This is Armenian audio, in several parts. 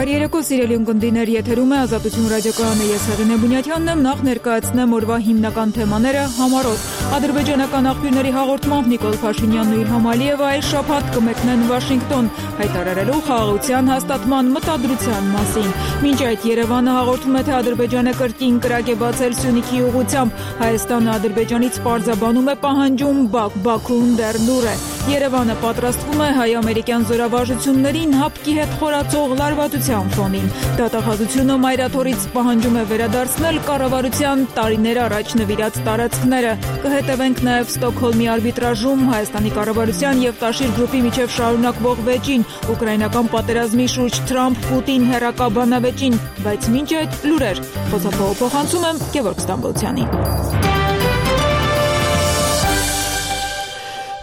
Բարերեկո սիրելի ունկնդիրներ, եթերում է Ազատություն ռադիոկայանը, ես Հեղինե Բունյաթյանն եմ, նախ ներկայացնեմ օրվա հիմնական թեմաները համառոտ։ Ադրբեջանական աղբյուրների հաղորդմամբ Նիկոլ Փաշինյանն ու Իլհամ Ալիևը այս շաբաթ կմեկնեն Վաշինգտոն, հայտարարելով խաղաղության հաստատման մտադրության մասին։ Մինչ այդ Երևանը հաղորդում է, թե Ադրբեջանը կրկին կրակ է բացել Սյունիքի ուղղությամբ, Հայաստանը Ադրբեջանից պարզաբանում է պահանջում, Բաքուն դեռ լուռ է։ Երևանը պատրաստվում է հայ-ամերիկյան զորավարժություններին հապկի հետ խորացող լարվածության ֆոնին։ Դատախազությունը մայրաթորից պահանջում է վերադարձնել կառավարության տարիներ առաջ նվիրած տարածքները։ Կհետևենք նաև Ստոկհոլմի արբիտրաժում Հայաստանի կառավարության եւ Տաշիր գրուպի միջև շարունակվող վեճին, ուկրաինական պատերազմի շուրջ Թրամփ-Պուտին հերակա բանավեճին, բայց մինչ այդ լուրեր։ Խոսափողը փոխանցում եմ Գևորգ Ստամբոլցյանին։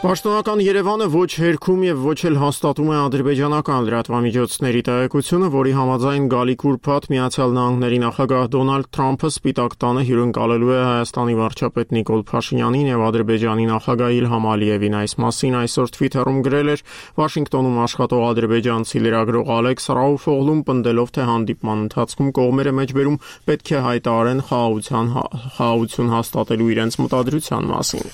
Պաշտոնական Երևանը ոչ հերքում եւ ոչ էլ հաստատում է ադրբեջանական լրատվամիջոցների տեղեկությունը, որի համաձայն գալիք ուրբաթ Միացյալ Նահանգների նախագահ Դոնալդ Թրամփը Սպիտակ տանը հյուրընկալելու է Հայաստանի վարչապետ Նիկոլ Փաշինյանին եւ Ադրբեջանի նախագահ Իլհամ Ալիևին։ Այս մասին այսօր Twitter-ում գրել էր Վաշինգտոնում աշխատող ադրբեջանցի լրագրող Ալեքս Ռաուֆօղլուն, պնդելով, թե հանդիպման ընթացքում կողմերը մեջբերում պետք է հայտարարեն խաղաղություն հաստատելու իրենց մտադրության մասին։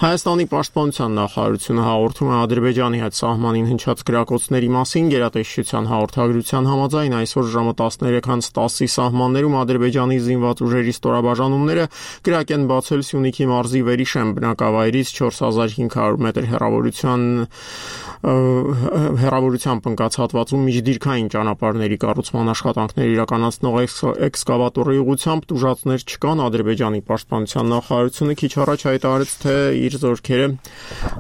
Հայաստանի պաշտպանության նախարարությունը հաղորդում է Ադրբեջանի հետ սահմանին հնչած գրակոծների մասին։ Գերատեսչության հաղորդագրության համաձայն այսօր ժամը 13:10-ի սահմաններում Ադրբեջանի զինված ուժերի ստորաբաժանումները կրակ են բացել Սյունիքի մարզի Վերիշեմ բնակավայրից 4500 մետր հեռավորությամբ ընկած հատվածում միջդիրքային ճանապարհների կառուցման աշխատանքներ իրականացնող էքսկավատորի ուղղությամբ տուժածներ չկան։ Ադրբեջանի պաշտպանության նախարարությունը քիչ առաջ հայտարարեց, թե իր զորքերը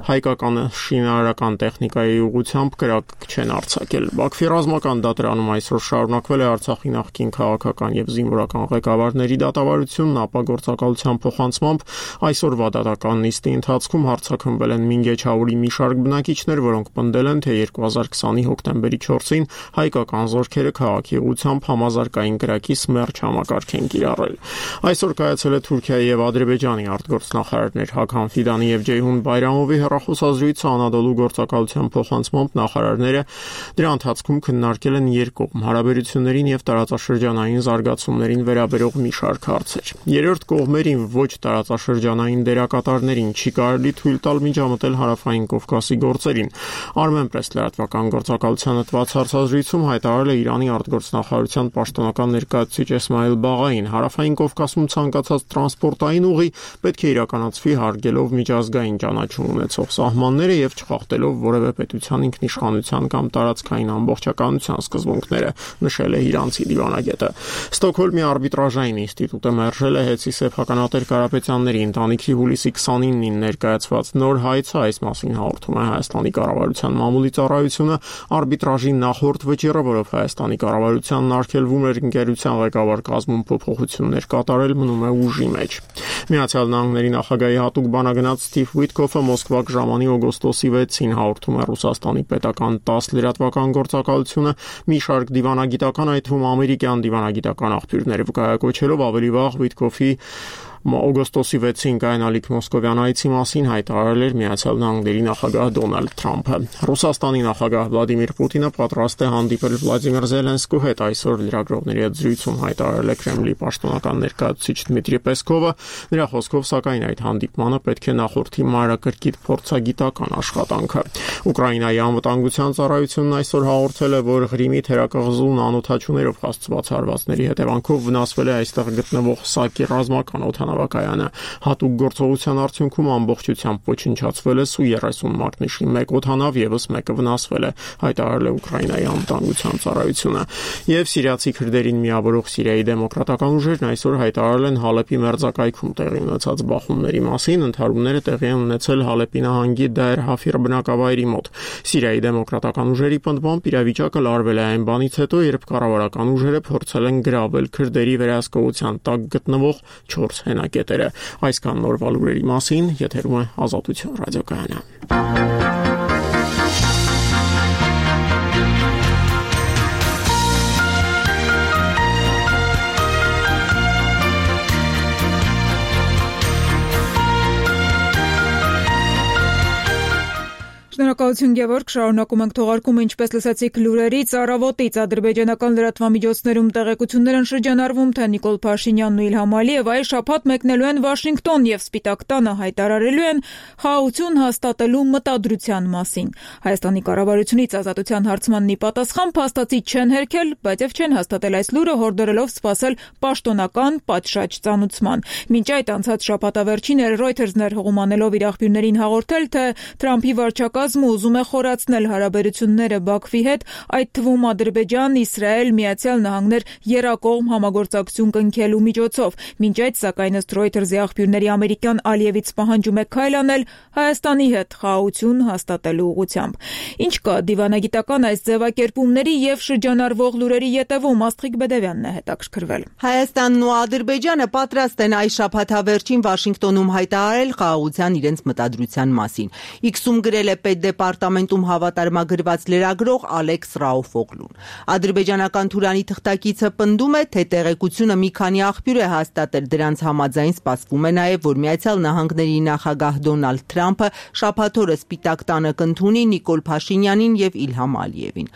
հայկական շինարարական տեխնիկայի ուղղությամբ կրակ չեն արձակել։ Բաքվի ռազմական դատարանում այսօր շարունակվել է Արցախի նախկին քաղաքական եւ զինվորական ղեկավարների դատավարությունն, ապա գործակալության փոխանցմամբ այսօրվա դատական նիստի ընթացքում հարձակվվել են Մինգեչաուրի մի շարք բնակիչներ, որոնք պնդել են, թե 2020-ի հոկտեմբերի 4-ին հայկական զորքերը քաղաքի ուղղությամբ համազարգային կրակի սմերջ համակարգ են կիրառել։ Այսօր կայացել է Թուրքիայի եւ Ադրբեջանի արտգործնախարարներ Հաքան Ֆիդանի եւ Ջեյհուն Բայրամովի հեռախոսազրույցը անադոլու գործակալության փոխանցմամբ նախարարները դրա ընթացքում քննարկել են երկկողմ հարաբերություններին եւ տարածաշրջանային զարգացումներին վերաբերող մի շարք հարցեր։ Երրորդ կողմերին ոչ տարածաշրջանային դերակատարներին չի կարելի թույլ տալ միջամտել հարավային Կովկասի գործերին։ Armenpress լրատվական գործակալությանը տված հարցազրույցում հայտարարել է Իրանի արտգործնախարարության պաշտոնական ներկայացուցիչ Էսմայել Բաղային, հարավային Կովկասում ցանկացած տրանսպորտային ուղի պետք է իրականացվի հարգելով միջազգային ճանաչում ունեցող սահմանները եւ չխախտելով որևէ պետության ինքնիշխանության կամ տարածքային ամբողջականության սկզբունքները, նշել է իրանցի դիվանագետը։ Ստոկհոլմի արբիտրաժային ինստիտուտը մերժել է Հեցի սեփականատեր Կարապետյանների ընտանիքի հուլիսի 29-ին ներկայացված նոր հայցը, այս մասին հաղորդում է Հայաստանի կառավարության մամուլի ծառայությունը։ Արբիտրաժի նախորդ վճիռը, որով Հայաստանի կառավարությանն արգելվում էր ընկերության ղեկավար կազմում փոփոխություններ կատարել, մնում է ուժի մեջ։ Միացյալ Նահանգների նախագահի հատուկ բանագնաց Սթիվ Ուիտկոֆը Մոսկվա ժամանի օգոստոսի 6-ին հաղորդում է Ռուսաստանի պետական 10 լրատվական գործակալությունը մի շարք դիվանագիտական, այդ թվում ամերիկյան դիվանագիտական աղբյուրներ վկայակոչելով ավելի վաղ Ուիտկոֆի օգոստոսի 6-ին կայանալիք մոսկովյան այցի մասին հայտարարել էր Միացյալ Նահանգների նախագահ Դոնալդ Թրամփը։ Ռուսաստանի նախագահ Վլադիմիր Պուտինը պատրաստ է հանդիպել Վլադիմիր Զելենսկու հետ։ Այսօր լրագրողների հետ զրույցում հայտարարել է Կրեմլի պաշտոնական ներկայացուցիչ Դմիտրի Պեսկովը։ Նրա խոսքով, սակայն, այդ հանդիպմանը պետք է նախորդի մանրակրկիտ փորձագիտական աշխատանքը։ Ուկրաինայի անվտանգության ծառայությունն այսօր հաղորդել է, որ Ղրիմի թերակղզու նանոթաչուներով հասցված հարվածների հետևանքով վնասվել է այստեղ գտնվող Սակի ռազմական օդանավակայանը։ Հատուկ գործողության արդյունքում ամբողջությամբ ոչնչացվել է Սու-30 մակնիշի 1 օդանավ, եւս մեկը վնասվել է, հայտարարել է Ուկրաինայի անվտանգության ծառայությունը։ Եվ սիրիացի քրդերին միավորող Սիրիայի դեմոկրատական ուժերն այսօր հայտարարել են Հալեպի մերձակայքում տեղի ունեցած բախումների մասին։ Ընդհարումները տեղի են ունեցել Հալեպի նահանգի Դայր Հաֆիր բնակավայրի մոտ։ Սիրիայի դեմոկրատական ուժերի պնդմամբ իրավիճակը լարվել է այն բանից հետո, երբ կառավարական ուժերը փորձել են գրավել քրդերի վերահսկողության տակ գտնվող 4 հենակետերը։ Այսքան նորվա լուրերի մասին, եթերում է Ազատություն ռադիոկայանը։ Շնորհակալություն Գևորգ, շարունակում ենք թողարկումը, ինչպես լսեցիք լուրերից, առավոտից ադրբեջանական լրատվամիջոցներում տեղեկություններ են շրջանառվում, թե Նիկոլ Փաշինյանն ու Իլհամ Ալիևը այս շաբաթ մեկնելու են Վաշինգտոն եւ Սպիտակ տանը հայտարարելու են խաղաղություն հաստատելու մտադրության մասին։ Հայաստանի կառավարությունից ազատության հարցմանն ի պատասխան փաստացի չեն հերքել, բայց եւ չեն հաստատել այս լուրը, հորդորելով սպասել պաշտոնական պատշաճ ծանուցման։ Մինչ այդ անցած շաբաթավերջին Reuters-ն էր հողում անելով իր աղբյուրներին հաղորդել, թե Թրամփի վարչակազմը ուզում է խորացնել հարաբերությունները Բաքվի հետ, այդ թվում Ադրբեջան, Իսրայել, Միացյալ Նահանգներ եռակողմ համագործակցություն կնքելու միջոցով։ Մինչ այդ, սակայն ըստ Reuters-ի աղբյուրների ամերիկյան Ալիևից պահանջում է քայլ անել Հայաստանի հետ խաղաղություն հաստատելու ուղղությամբ։ Ինչ կա դիվանագիտական այս ձևակերպումների եւ շրջանառվող լուրերի ետևում? Աստղիկ Բեդևյանն է հետաքրքրվել։ Հայաստանն ու Ադրբեջանը պատրաստ են այս շաբաթավերջին Վաշինգտոնում հայտարարել խաղաղության իրենց մտադրության մասին։ X-ում գրել է Պետդեպարտամենտում հավատարմագրված լրագրող Ալեքս Ռաուֆօղլուն։ Ադրբեջանական Թուրանի թղթակիցը պնդում է, թե տեղեկությունը մի քանի աղբյուր է հաստատել, դրանց համաձայն սպասվում է նաև, որ Միացյալ Նահանգների նախագահ Դոնալդ Թրամփը շաբաթ օրը Սպիտակ տանը կընդունի Նիկոլ Փաշինյանին եւ Իլհամ Ալիևին։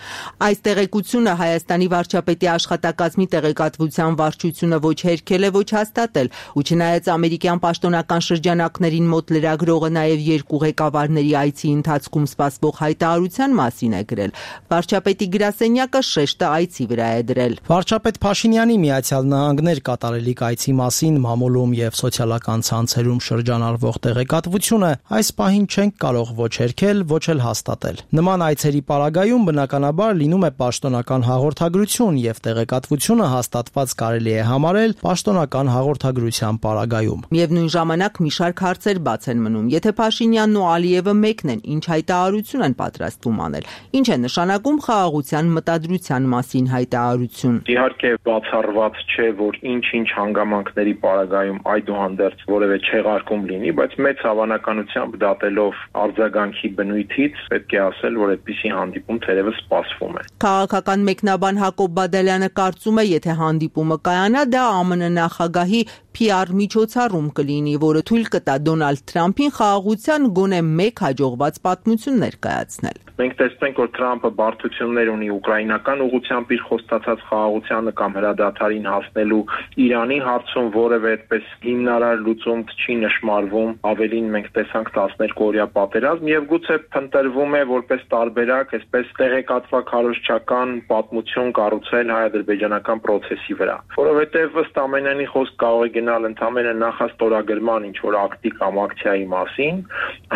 Այս տեղեկությունը Հայաստանի վարչապետի աշխատակազմի տեղեկատվության վարչությունը ոչ հերքել է, ոչ հաստատել, ու չնայած ամերիկյան պաշտոնական շրջանակներին մոտ լրագրողը նաև երկու ղեկավարների այցի ընթացքում սպասվող հայտարարության մասին է գրել, վարչապետի գրասենյակը շեշտը այցի վրա է դրել։ Վարչապետ Փաշինյանի Միացյալ Նահանգներ կատարելիք այցի մասին մամուլում եւ սոցիալական ցանցերում շրջանառվող տեղեկատվությունը այս պահին չենք կարող ոչ հերքել, ոչ էլ հաստատել։ Նման այցերի պարագայում բնականաբար լինում է պաշտոնական հաղորդագրություն եւ տեղեկատվությունը հաստատված կարելի է համարել պաշտոնական հաղորդագրության պարագայում։ Միևնույն ժամանակ մի շարք հարցեր բաց են մնում։ Եթե Փաշինյանն ու Ալիևը մեկն են, ինչ հայտարարություն են պատրաստվում անել, ինչ է նշանակում խաղաղության մտադրության մասին հայտարարություն։ Իհարկե բացառված չէ, որ ինչ-ինչ հանգամանքների պարագայում այդուհանդերձ որևէ չեղարկում լինի, բայց մեծ հավանականությամբ դատելով արձագանքի բնույթից պետք է ասել, որ այդպիսի հանդիպում թերևս սպասվում է։ Քաղաքական մեկնաբան Հակոբ Բադալյանը կարծում է, եթե հանդիպումը կայանա, դա ԱՄՆ նախագահի PR միջոցառում կլինի, որը թույլ կտա Դոնալդ Թրամփին խաղաղության գոնե մեկ հաջողված պատմություն ներկայացնել։ Մենք տեսնենք, որ Թրամփը բարդություններ ունի ուկրաինական ուղղությամբ իր խոստացած խաղաղությանը կամ հրադադարին հասնելու Իրանի հարցում որևէ այդպես հիմնարար լուծում չի նշмарվում, ավելին մենք տեսանք 12-օրյա պատերազմ եւ գուցե փնտրվում է որպես տարբերակ, այսպես տեղեկատվակ քարոզչական պատմություն կառուցել հայ-ադրբեջանական process-ի վրա, որովհետեւ ըստ ամենայնի խոսք կարող է գնալ ընդամենը նախաստորագրման ինչ-որ ակտի կամ ակցիայի մասին,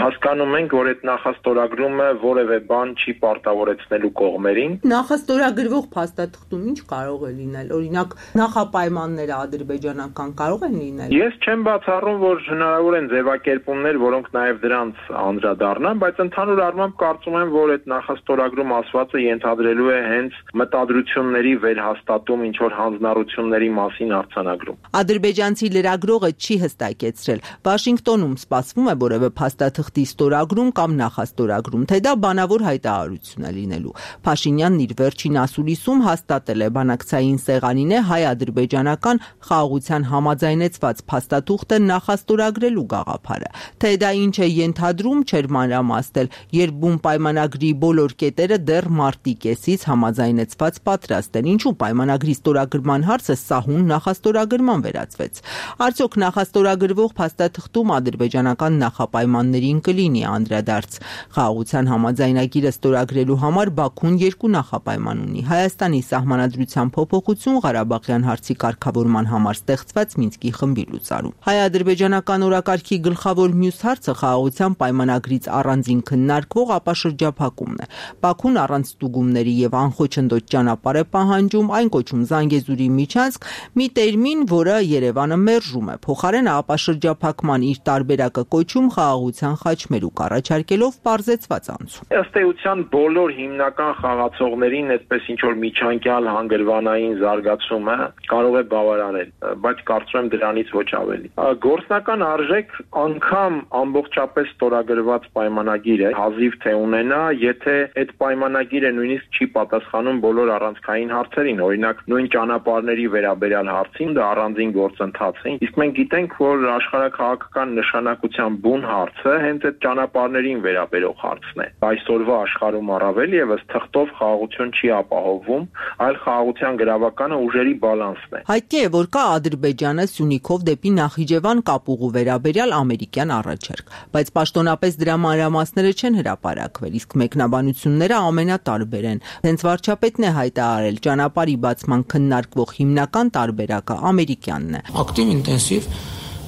հասկանում ենք, որ այդ նախաստորագրումը որևէ բան չի պարտավորեցնելու կողմերին։ Նախաստորագրվող փաստաթղթում ինչ կարող է լինել, օրինակ նախապայմանները ադրբեջանական կարող են լինել։ Ես չեմ բացառում, որ հնարավոր են ձևակերպումներ, որոնք նաև դրանց անդրադառնան, բայց ընդհանուր առմամբ կարծում եմ, որ այդ նախաստորագրում ասվածը ենթադրելու է հենց մտադրությունների վերհաստատում, ինչ որ հանձնառությունների մասին արձանագրում։ Ադրբեջանցի լրագրողը չի հստակեցրել։ Վաշինգտոնում սպասվում է որևէ փաստաթղթի ստորագրում կամ նախաստորագրում, թե դա բանավոր հայտարարություն է լինելու։ Փաշինյանն իր վերջին ասուլիսում հաստատել է բանակցային սեղանին է հայ-ադրբեջանական խաղաղության համաձայնեցված փաստաթուղթը նախաստորագրելու գաղափարը։ Թե դա ինչ է ենթադրում, չէր մանրամասնել, երբ բուն պայմանագրի բոլոր կետերը դեռ մարտի կեսից համաձայնեցված պատրաստ են։ Ինչու պայմանագրի ստորագրման հարցը սահուն նախաստորագրման վերածվեց։ Արդյոք նախաստորագրվող փաստաթղթում ադրբեջանական նախապայմաններին կլինի անդրադարձ։ Խաղաղության համաձայնագիրը ստորագրելու համար Բաքուն երկու նախապայման ունի։ Հայաստանի սահմանադրության փոփոխություն, Ղարաբաղյան հարցի կարգավորման համար ստեղծված Մինսկի խմբի լուծարում։ Հայ-ադրբեջանական օրակարգի գլխավոր մյուս հարցը խաղաղության պայմանագրից առանձին քննարկվող ապաշրջափակումն է։ Բաքուն առանց ստուգումների եւ անխոչնդոտ ճանապարհ է պահանջում, այն կոչում Զանգեզուրի միջանցք, մի տերմին, որը Երևանը մերժում է։ Փոխարենը ապաշրջափակման իր տարբերակը կոչում խաղաղության խաչմերուկ առաջարկելով պարզեցված անցում։ Ըստ էության բոլոր հիմնական խաղացողներին այդպես ինչ որ միջանկյալ հանգրվանային զարգացումը կարող է բավարարել, բայց կարծում եմ դրանից ոչ ավելի։ Գործնական արժեք անգամ ամբողջապես ստորագրված պայմանագիր է, հազիվ թե ունենա, եթե այդ պայմանագիրը նույնիսկ չի պատասխանում բոլոր առանցքային հարցերին, օրինակ նույն ճանապարհների վերաբերյալ հարցին դա առանձին գործընթաց է։ Իսկ մենք գիտենք, որ աշխարհաքաղաքական նշանակության բուն հարցը հենց այդ ճանապարհներին վերաբերող կատարվող հարցն է։ Այսօրվա աշխարհում առավել եւս թղթով խաղաղություն չի ապահովվում, այլ խաղաղության գրավականը ուժերի բալանսն է։ Հայտնի է, որ կա Ադրբեջանը Սյունիքով դեպի Նախիջևան կապուղու վերաբերյալ ամերիկյան առաջարկ, բայց պաշտոնապես դրա մանրամասները չեն հրապարակվել, իսկ մեկնաբանությունները ամենատարբեր են։ Հենց վարչապետն է հայտարարել, ճանապարհի բացման քննարկվող հիմնական տարբերակը ամերիկյանն է։ Ակտիվ ինտենսիվ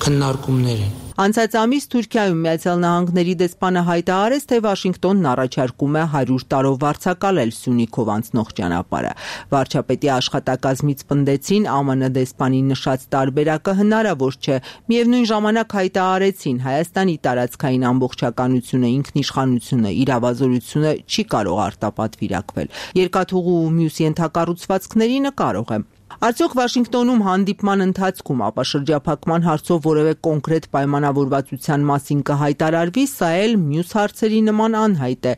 քննարկումներ են։ Անցած ամիս Թուրքիայում Միացյալ Նահանգների դեսպանը հայտարարեց, թե Վաշինգտոնն առաջարկում է 100 տարով վարձակալել Սյունիքով անցնող ճանապարհը։ Վարչապետի աշխատակազմից պնդեցին, ԱՄՆ դեսպանի նշած տարբերակը հնարավոր չէ։ Միևնույն ժամանակ հայտարարեցին, Հայաստանի տարածքային ամբողջականությունը, ինքնիշխանությունը, իրավազորությունը չի կարող արտապատվիրակվել։ Երկաթուղու ու մյուս ենթակառուցվածքներին կարող է։ Արդյոք Վաշինգտոնում հանդիպման ընթացքում ապաշրջափակման հարցով որևէ կոնկրետ պայմանավորվածության մասին կհայտարարվի, սա էլ մյուս հարցերի նման անհայտ է։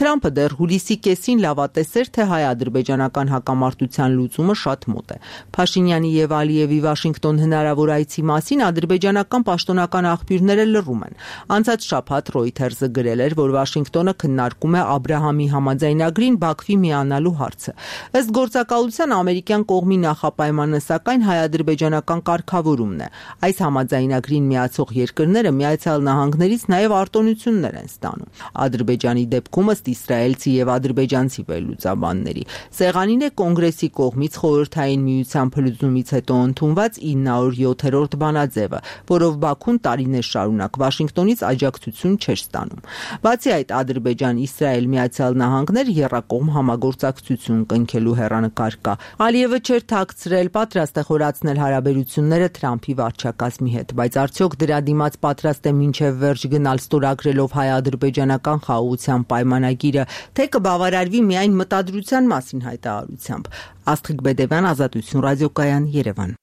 Թրամփը դեռ հուլիսի կեսին լավատեսեր, թե հայ-ադրբեջանական հակամարտության լուծումը շատ մոտ է։ Փաշինյանի եւ Ալիևի Վաշինգտոն հնարավոր այցի մասին ադրբեջանական պաշտոնական աղբյուրները լռում են։ Անցած շաբաթ Reuters-ը գրել էր, որ Վաշինգտոնը քննարկում է Աբրահամի համաձայնագրին Բաքվի միանալու հարցը։ Ըստ գործակալության ամերիկյան կողմի նախապայմանը սակայն հայ-ադրբեջանական կարգավորումն է։ Այս համաձայնագրին միացող երկրները Միացյալ Նահանգներից նաև արտոնություններ են ստանում։ Ադրբեջանի դեպքում ըստ իսրայելցի եւ ադրբեջանցի վերլուծաբանների սեղանին է կոնգրեսի կողմից խորհրդային միության փլուզումից հետո ընդունված 907-րդ բանաձևը, որով Բաքուն տարիներ շարունակ Վաշինգտոնից աջակցություն չէր ստանում։ Բացի այդ, Ադրբեջան-Իսրայել Միացյալ Նահանգներ եռակողմ համագործակցություն կնքելու հեռանկար կա։ Ալիևը չէր թաքցրել, պատրաստ է խորացնել հարաբերությունները Թրամփի վարչակազմի հետ, բայց արդյոք դրա դիմաց պատրաստ է մինչև վերջ գնալ ստորագրելով հայ-ադրբեջանական խաղաղության պայմանագիրը, թե կբավարարվի միայն մտադրության մասին հայտարարությամբ։ Աստղիկ Բեդևյան, Ազատություն ռադիոկայան, Երևան։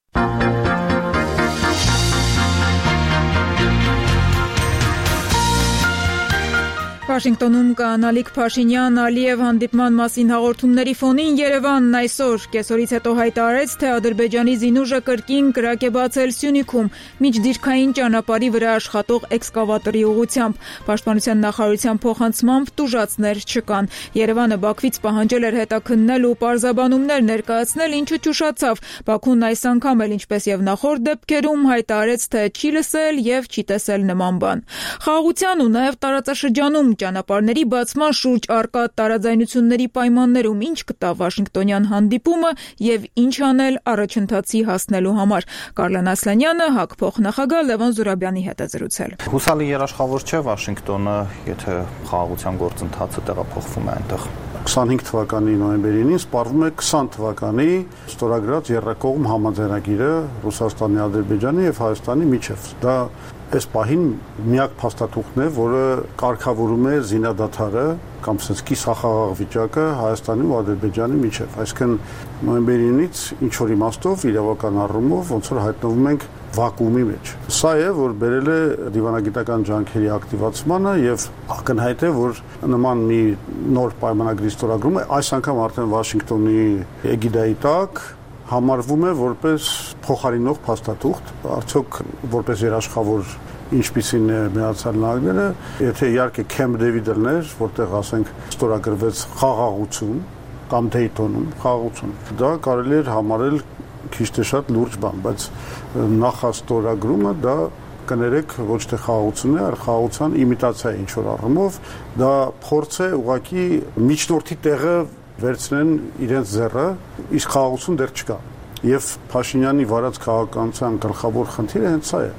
Վաշինգտոնում կանալիք Փաշինյան-Ալիև հանդիպման մասին հաղորդումների ֆոնին Երևանն այսօր կեսօրից հետո հայտարարեց, թե Ադրբեջանի զինուժը կրկին կրակ է բացել Սյունիքում միջդիրքային ճանապարհի վրա աշխատող էքսկավատորի ուղղությամբ։ Պաշտպանության նախարարության փոխանցմամբ տուժածներ չկան։ Երևանը Բաքվից պահանջել էր հետաքննել ու պարզաբանումներ ներկայացնել, ինչը ճուշացավ։ Բաքուն այս անգամ էլ ինչպես եւ նախորդ դեպքերում հայտարարեց, թե չի լսել եւ չի տեսել նման բան։ Խաղաղության ու նաեւ տարածաշրջանում ճանապարհների բացման շուրջ արկա տարաձայնությունների պայմաններում ինչ կտա Վաշինգտոնյան հանդիպումը եւ ինչ անել առաջընթացի հասնելու համար։ Կարլեն Ասլանյանը ՀԱԿ փոխնախագահ Լևոն Զուրաբյանի հետ է զրուցել։ Հուսալի երաշխավոր չէ Վաշինգտոնը, եթե խաղաղության գործընթացը տեղափոխվում է այնտեղ։ 25 թվականի նոյեմբերին սպառվում է 20 թվականի ստորագրած եռակողմ համաձայնագիրը Ռուսաստանի, Ադրբեջանի եւ Հայաստանի միջև։ Դա այս պահին միակ փաստաթուղթն է, որը կարգավորում է զինադադարը կամ ասած կիսախաղաղ վիճակը Հայաստանի ու Ադրբեջանի միջև։ Այսինքն նոյեմբերից ինչ որ իմաստով իրավական առումով ոնց որ հայտնվում ենք վակուումի մեջ։ Սա է, որ բերել է դիվանագիտական ջանքերի ակտիվացմանը եւ ակնհայտ է, որ նման մի նոր պայմանագրի ստորագրումը այս անգամ արդեն Վաշինգտոնի էգիդայի տակ համարվում է որպես փոխարինող փաստաթուղթ, արդյոք որպես երաշխավոր ինչպիսին է Միացյալ Նահանգները, եթե իհարկե Քեմփ Դեվիդն, որտեղ ասենք ստորագրվեց խաղաղություն կամ Դեյթոնում խաղաղություն, դա կարելի էր համարել քիչ թե շատ լուրջ բան, բայց նախաստորագրումը դա կներեք ոչ թե խաղաղություն է, այլ խաղաղության իմիտացիա է ինչ որ առումով, դա փորձ է ուղղակի միջնորդի տեղը վերցնեն իրենց ձեռը, իսկ խաղաղություն դեռ չկա։ Եվ Փաշինյանի վարած քաղաքականության գլխավոր խնդիրը հենց սա է։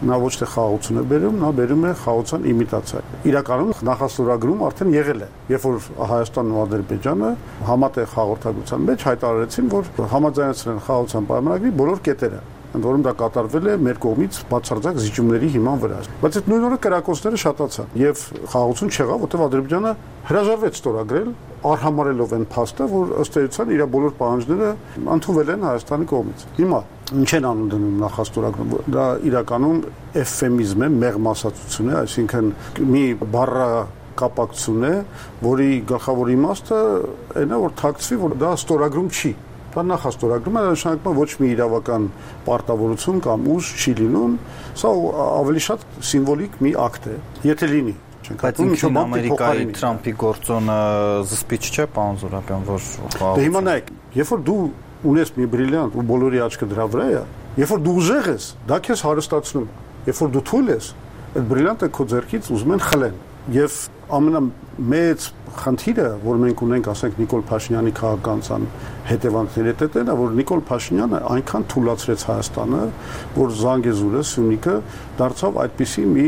Նա ոչ թե խաղաղություն է բերում, նա բերում է խաղաղության իմիտացիա։ Իրականում նախաստորագրում արդեն եղել է, երբ որ Հայաստանն ու Ադրբեջանը համատեղ հաղորդակցության մեջ հայտարարեցին, որ համաձայնեցրել են խաղաղության պայմանագրի բոլոր կետերը, ընդ որում դա կատարվել է մեր կողմից բացարձակ զիջումների հիման վրա։ Բայց այդ նույն օրը կրակոցները շատացան եւ խաղաղություն չեղավ, որտեղ Ադրբեջանը հրաժարվեց ստորագրել, արհամարելով այն փաստը, որ ըստ էության իր բոլոր պահանջները ընդունվել են Հայաստանի կողմից։ Հիմա ինչ են անում դնում նախաստորագրում, դա իրականում էվֆեմիզմ է, մեղմասացություն է, այսինքն մի բառա կապակցություն է, որի գլխավոր իմաստը այն է, որ թաքցվի, որ դա ստորագրում չի։ Դա նախաստորագրում է, նշանակում ոչ մի իրավական պարտավորություն կամ ուժ չի լինում, սա ավելի շատ սիմվոլիկ մի ակտ է։ Եթե լինի, չենք հատում, ինչու Ամերիկայի Թրամփի գործոնը զսպիչ չէ, պարոն Զուրաբյան, որ դե հիմա նայեք, երբ որ դու ունես մի բրիլիանտ ու բոլորի աչքը դրա վրա է, երբ որ դու ուժեղ ես, դա քեզ հարստացնում, երբ որ դու թույլ ես, այդ բրիլիանտը քո ձեռքից ուզում են խլեն։ Եվ ամենամեծ խնդիրը, որ մենք ունենք, ասենք Նիկոլ Փաշինյանի քաղաքականության հետևանքների հետ է, որ Նիկոլ Փաշինյանը այնքան թուլացրեց Հայաստանը, որ Զանգեզուրը, Սյունիքը դարձավ այդպիսի մի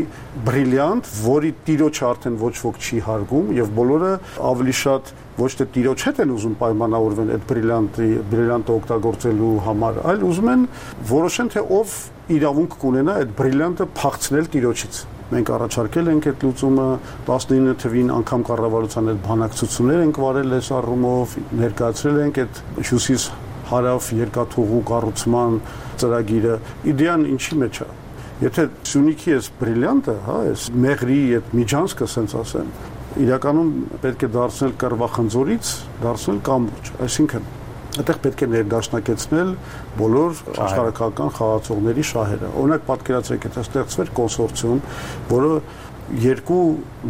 բրիլիանտ, որի տիրոջը արդեն ոչ ոք չի հարգում, եւ բոլորը ավելի շատ ոչ թե տիրոջ հետ են ուզում պայմանավորվեն այդ բրիլիանտը օգտագործելու համար, այլ ուզում են որոշեն, թե ով իրավունք կունենա այդ բրիլիանտը փախցնել տիրոջից։ Մենք առաջարկել ենք այդ լուծումը 19 թվին անգամ կառավարության այդ բանակցություններ ենք վարել այս առումով, ներկայացրել ենք այդ հյուսիս-հարավ երկաթուղու կառուցման ծրագիրը։ Իդեան ինչի մեջ է։ Եթե Սյունիքի այս բրիլիանտը, այս մեղրի այդ միջանցքը, ասենց ասեմ, իրականում պետք է դարձնել Կռվախնձորից, դարձնել կամուրջ, այսինքն այդտեղ պետք է ներդաշնակեցնել բոլոր աշխարհակական խաղացողների շահերը։ Օրինակ պատկերացրեք, եթե ստեղծվեր կոնսորցիում, որը երկու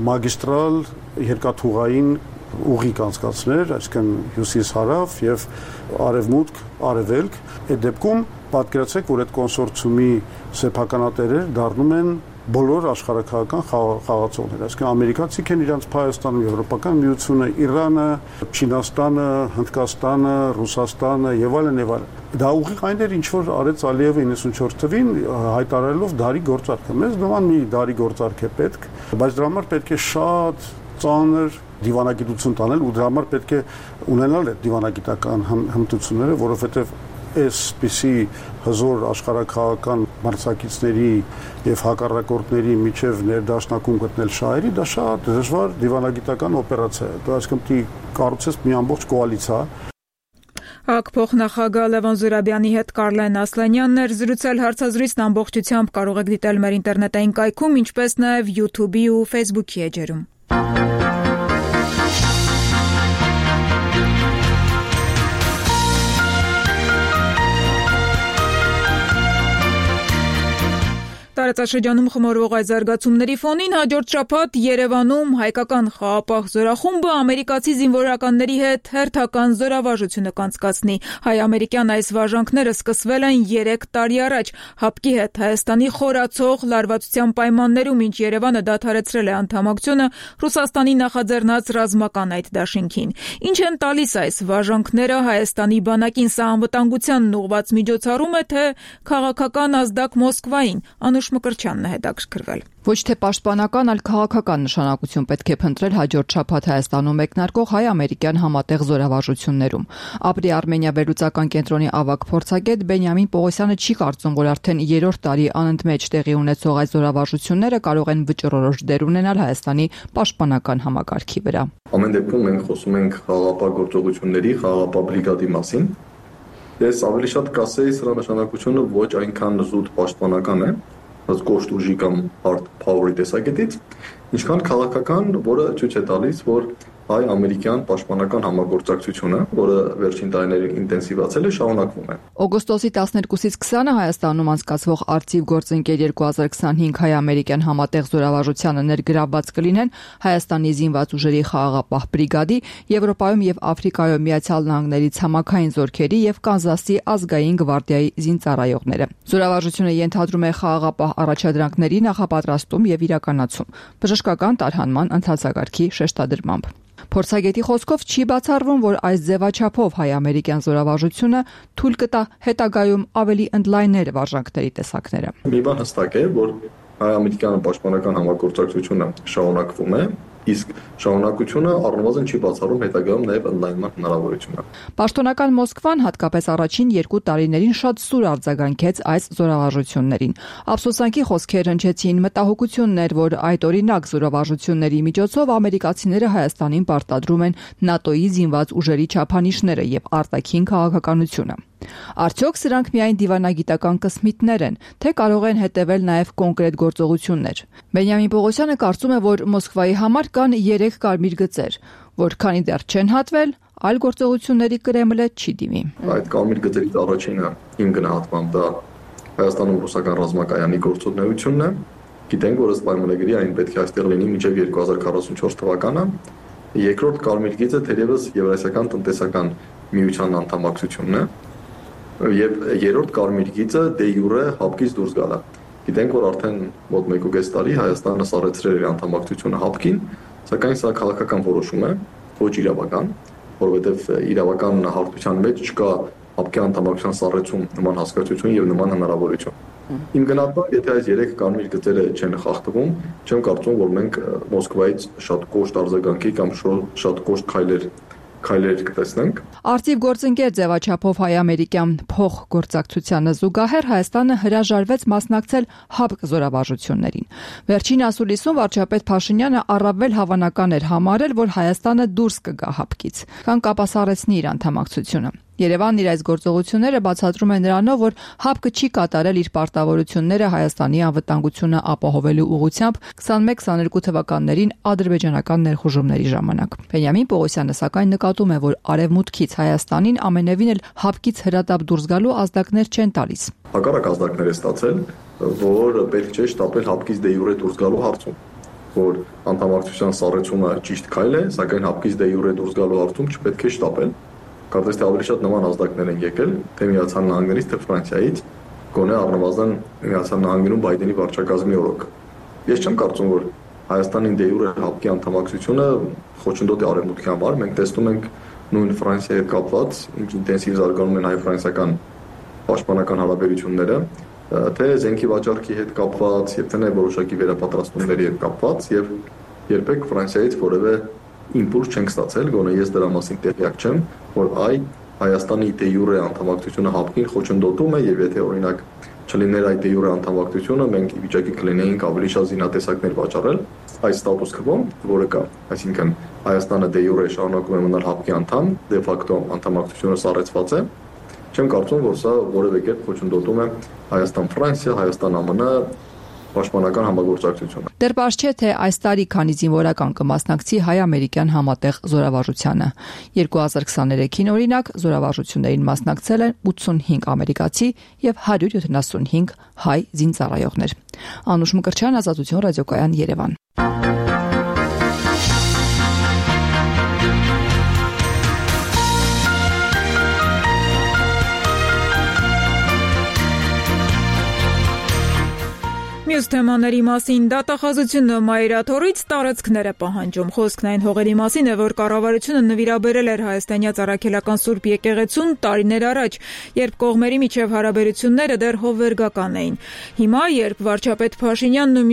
մագիստրալ երկաթուղային ուղի կանցկացներ, այսինքն հյուսիս-հարավ եւ արևմուտք-արևելք, այդ դեպքում պատկերացրեք, որ այդ կոնսորցիումի սեփականատերեր դառնում են բոլոր աշխարհակական խաղացողներ, այսինքն ամերիկացիք են իրանց Հայաստանում, Եվրոպական միությունը, Իրանը, Չինաստանը, Հնդկաստանը, Ռուսաստանը եւ այլն եւ այլն։ Դա ուղիղ այն էր, ինչ որ արեց Ալիևը 94 թվին հայտարարելով դարի գործարքը։ Մեզ նման մի դարի գործարք է պետք, բայց դրա համար պետք է շատ ծանր դիվանագիտություն տանել ու դրա համար պետք է ունենալ այդ դիվանագիտական հմտությունները, որովհետեւ այսպիսի հզոր աշխարհակահաղական մրցակիցների եւ հակառակորդների միջև ներդաշնակում գտնել շահերի, դա շատ դժվար դիվանագիտական օպերացիա է։ Դա այսինքն պիտի կառուցես մի ամբողջ կոալիցիա։ ՀԱԿ փոխնախագահ Լևոն Զուրաբյանի հետ Կարլեն Ասլանյանն էր զրուցել հարցազրույցն ամբողջությամբ կարող եք դիտել մեր ինտերնետային կայքում, ինչպես նաեւ YouTube-ի ու Facebook-ի էջերում։ Տարածաշրջանում խմորվող այդ զարգացումների ֆոնին հաջորդ շաբաթ Երևանում հայկական խաղապահ զորախումբը ամերիկացի զինվորականների հետ հերթական զորավարժություն կանցկացնի։ Հայ-ամերիկյան այս վարժանքները սկսվել են 3 տարի առաջ։ ՀԱՊԿ-ի հետ Հայաստանի խորացող լարվածության պայմաններում, ինչ Երևանը դադարեցրել է անդամակցությունը Ռուսաստանի նախաձեռնած ռազմական այդ դաշինքին։ Ինչ են տալիս այս վարժանքները Հայաստանի բանակին, սա անվտանգությանն ուղղված միջոցառում է, թե քաղաքական ազդակ Մոսկվային։ Մկրտչյանն է հետաքրքրվել։ Ոչ թե պաշտպանական, այլ քաղաքական նշանակություն պետք է փնտրել հաջորդ շաբաթ Հայաստանում մեկնարկող հայ-ամերիկյան համատեղ զորավարժություններում։ Ապրի Արմենիա վերլուծական կենտրոնի ավագ փորձագետ Բենյամին Պողոսյանը չի կարծում, որ արդեն 3-րդ տարի անընդմեջ տեղի ունեցող այս զորավարժությունները կարող են վճռորոշ դեր ունենալ Հայաստանի պաշտպանական համակարգի վրա։ Ամեն դեպքում մենք խոսում ենք խաղաղապահ գործողությունների, խաղաղապահ բրիգադի մասին։ Ես ավելի շատ կասեի, սրա նշանակությունը ոչ այնքան զուտ պաշտպանական է, կոշտ ուժի կամ hard power-ի տեսակետից, ինչքան քաղաքական, որը ցույց է տալիս, որ հայ-ամերիկյան պաշտպանական համագործակցությունը, որը վերջին տարիներին ինտենսիվացել է, շարունակվում է։ Օգոստոսի 12-ից 20-ը Հայաստանում անցկացվող Արծիվ գործընկեր 2025 հայ-ամերիկյան համատեղ զորավարժությանը ներգրավված կլինեն Հայաստանի զինված ուժերի խաղաղապահ բրիգադի, Եվրոպայում եւ Աֆրիկայում Միացյալ Նահանգների ցամաքային զորքերի եւ Կանզասի ազգային գվարդիայի զինծառայողները։ Զորավարժությունը ենթադրում է խաղաղապահ առաջադրանքների նախապատրաստում եւ իրականացում, բժշկական տարհանման ընթացակարգի շեշտադրմամբ։ Փորձագետի խոսքով չի բացառվում, որ այս ձևաչափով հայ-ամերիկյան զորավարժությունը թույլ կտա հետագայում ավելի ընդլայնել վարժանքների տեսակները։ Մի բան հստակ է, որ հայ-ամերիկյան պաշտպանական համագործակցությունը շարունակվում է, իսկ շարունակությունը առնվազն չի բացառում հետագայում նաև ընդլայնման հնարավորությունը։ Պաշտոնական Մոսկվան հատկապես առաջին 2 տարիներին շատ սուր արձագանքեց այս զորավարժություններին։ Ափսոսանքի խոսքեր հնչեցին, մտահոգություններ, որ այդ օրինակ զորավարժությունների միջոցով ամերիկացիները Հայաստանին պարտադրում են ՆԱՏՕ-ի զինված ուժերի չափանիշները եւ արտաքին քաղաքականությունը։ Արդյոք սրանք միայն դիվանագիտական կսմիթներ են, թե կարող են հետևել նաև կոնկրետ գործողություններ։ Բենյամին Պողոսյանը կարծում է, որ Մոսկվայի համար կան 3 կարմիր գծեր, որ քանի դեռ չեն հատվել, այլ գործողությունների Կրեմլը չի դիմի։ Այդ կարմիր գծերից առաջինը իմ գնահատմամբ դա Հայաստանում ռուսական ռազմակայանի գործունեությունն է, Գիտենք, որ ըստ պայմանագրի այն պետք է այստեղ լինի մինչև 2044 թվականը։ Երկրորդ կարմիր գիծը թերևս Եվրասիական տնտեսական միության անդամակցությունն է, եւ երրորդ կարմիր գիծը դե յուրե հապկից դուրս գալը։ Գիտենք, որ արդեն մոտ 1.5 տարի Հայաստանը սառեցրել է անդամակցությունը հապկին, սակայն սա քաղաքական որոշում է, ոչ իրավական, որովհետեւ իրավական հարթության մեջ չկա հապկի անդամակցության սառեցում նման հասկացություն եւ նման հնարավորություն։ Իմ գնահատմամբ, եթե այս 3 կարմիր գծերը չեն խախտվում, չեմ կարծում, որ մենք Մոսկվայից շատ կոշտ արձագանքի կամ շատ կոշտ քայլեր կտեսնենք։ Արծիվ գործընկեր ձևաչափով հայ-ամերիկյան փոխգործակցությանը զուգահեռ Հայաստանը հրաժարվեց մասնակցել հապկ զորավարժություններին։ Վերջին ասուլիսում վարչապետ Փաշինյանը առավել հավանական էր համարել, որ Հայաստանը դուրս կգա հապկից, քան կապասառեցնի իր անդամակցությունը։ Երևանն իր այս գործողությունները բացատրում է նրանով, որ հապկը չի կատարել իր պարտավորությունները Հայաստանի անվտանգությունը ապահովելու ուղղությամբ 21-22 թվականներին ադրբեջանական ներխուժումների ժամանակ։ Բենյամին Պողոսյանը սակայն նկատում է, որ արևմուտքից Հայաստանին ամենևին էլ հապկից հրատապ դուրս գալու ազդակներ չեն տալիս։ Հակառակ ազդակներ է ստացել, որ պետք չէ շտապել հապկից դե յուրե դուրս գալու հարցում, որ անդամակցության սառեցումը ճիշտ քայլ է, սակայն հապկից դե յուրե դուրս գալու հարցում չպետք է շտապել։ Կարծես թե ավելի շատ նման ազդակներ են եկել թե Միացյալ Նահանգներից, թե Ֆրանսիայից, գոնե առնվազն Միացյալ Նահանգներում Բայդենի վարչակազմի օրոք։ Ես չեմ կարծում, որ Հայաստանի դե յուրե հապկի անդամակցությունը խոչընդոտ է արևմուտքի համար։ Մենք տեսնում ենք նույն Ֆրանսիայի հետ կապված ինչ ինտենսիվ զարգանում են հայ-ֆրանսիական պաշտպանական հարաբերությունները, թե զենքի վաճառքի հետ կապված, եւ թե նաեւ որոշակի վերապատրաստումների հետ կապված, եւ երբեք Ֆրանսիայից որևէ իմպուլս չենք ստացել, գոնե ես դրա մասին տեղյակ չեմ, որ Հայաստանի դե յուրե անդամակցությունը հապկին խոչընդոտում է, եւ եթե օրինակ չլիներ այդ դե յուրե անդամակցությունը, մենք ի վիճակի կլինեինք ավելի շատ զինատեսակներ վաճառել այս ստատուս քվոն, որը կա, այսինքն Հայաստանը դե յուրե շարունակում է մնալ հապկի անդամ, դե ֆակտո անդամակցությունը սառեցված է։ Չեմ կարծում, որ սա որևէ կերպ խոչընդոտում է Հայաստան-Ֆրանսիա, Հայաստան-ԱՄՆ պաշտպանական համագործակցությունը։ Դեռ պարզ չէ, թե այս տարի քանի զինվորական կմասնակցի հայ-ամերիկյան համատեղ զորավարժությանը։ 2023-ին օրինակ զորավարժություններին մասնակցել են 85 ամերիկացի եւ 175 հայ զինծառայողներ։ Անուշ Մկրտչյան, Ազատություն ռադիոկայան, Երևան։ Մյուս թեմաների մասին դատախազությունը մայրաթորից տարածքներ է պահանջում։ Խոսքն այն հողերի մասին է, որ կառավարությունը նվիրաբերել էր հայաստանյաց առաքելական Սուրբ եկեղեցուն տարիներ առաջ, երբ կողմերի միջև հարաբերությունները դեռ հովվերգական էին։ Հիմա, երբ վարչապետ Փաշինյանն ու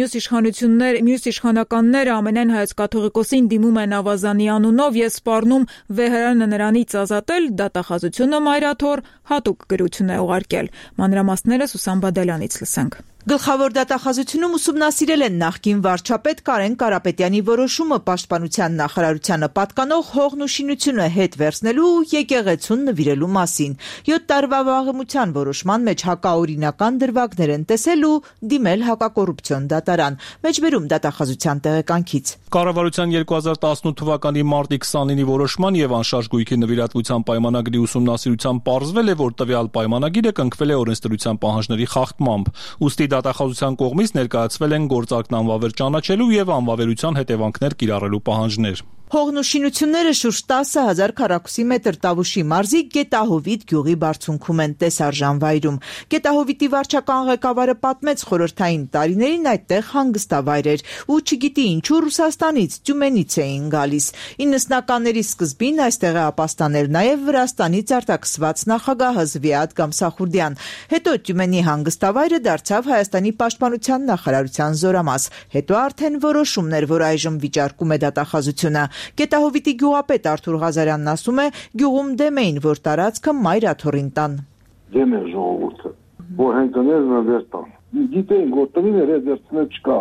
մյուս իշխանականները ամենայն հայոց կաթողիկոսին դիմում են ավազանի անունով եւ սպառնում վեհարանը նրանից ազատել, դատախազությունը մայրաթոր հատուկ գրություն է ուղարկել։ Մանրամասները Սուսան Բադալյանից լսենք։ Գլխավոր դատախազությունում ուսումնասիրել են նախկին վարչապետ Կարեն Կարապետյանի որոշումը պաշտպանության նախարարությանը պատկանող հողն ու շինությունը հետ վերցնելու ու եկեղեցուն նվիրելու մասին։ 7 տարվա վաղեմության որոշման մեջ հակաօրինական դրվագներ են տեսել ու դիմել հակակոռուպցիոն դատարան։ Մեջբերում դատախազության տեղեկանքից։ Կառավարության 2018 թվականի մարտի 29-ի որոշման եւ անշարժ գույքի նվիրատվության պայմանագրի ուսումնասիրությամբ պարզվել է, որ տվյալ պայմանագիրը կնքվել է օրենսդրության պահանջների խախտմամբ։ Ուստի դատախազության կողմից ներկայացվել են գործակն անվավեր ճանաչելու եւ անվավերության հետևանքներ կիրառելու պահանջներ։ Հողն ու շինությունները շուրջ 10,000 քառակուսի մետր Տավուշի մարզի Գետահովիտ գյուղի բարձունքում են տեսարժան վայրում։ Գետահովիտի վարչական ղեկավարը պատմեց խորհրդային տարիներին այդտեղ հանգստավայր էր ու չգիտի ինչու Ռուսաստանից, Տյումենից էին գալիս։ 90-ականների սկզբին այստեղ է ապաստանել նաև Վրաստանից արտաքսված նախագահ Զվիատ Գամսախուրդյան։ Հետո Տյումենի հանգստավայրը դարձավ Հայաստանի պաշտպանության նախարարության զորամաս։ Հետո արդեն որոշումներ, որ այժմ վիճարկում է դատախազությունը։ Գետահովիտի գյուղապետ Արթուր Ղազարյանն ասում է, գյուղում դեմ էին, որ տարածքը մայրաթորին տան։ Դեմ է ժողովուրդը, որ հենքներն վեր տան։ Գիտեին, որ տնիներ է դերցնել չկա։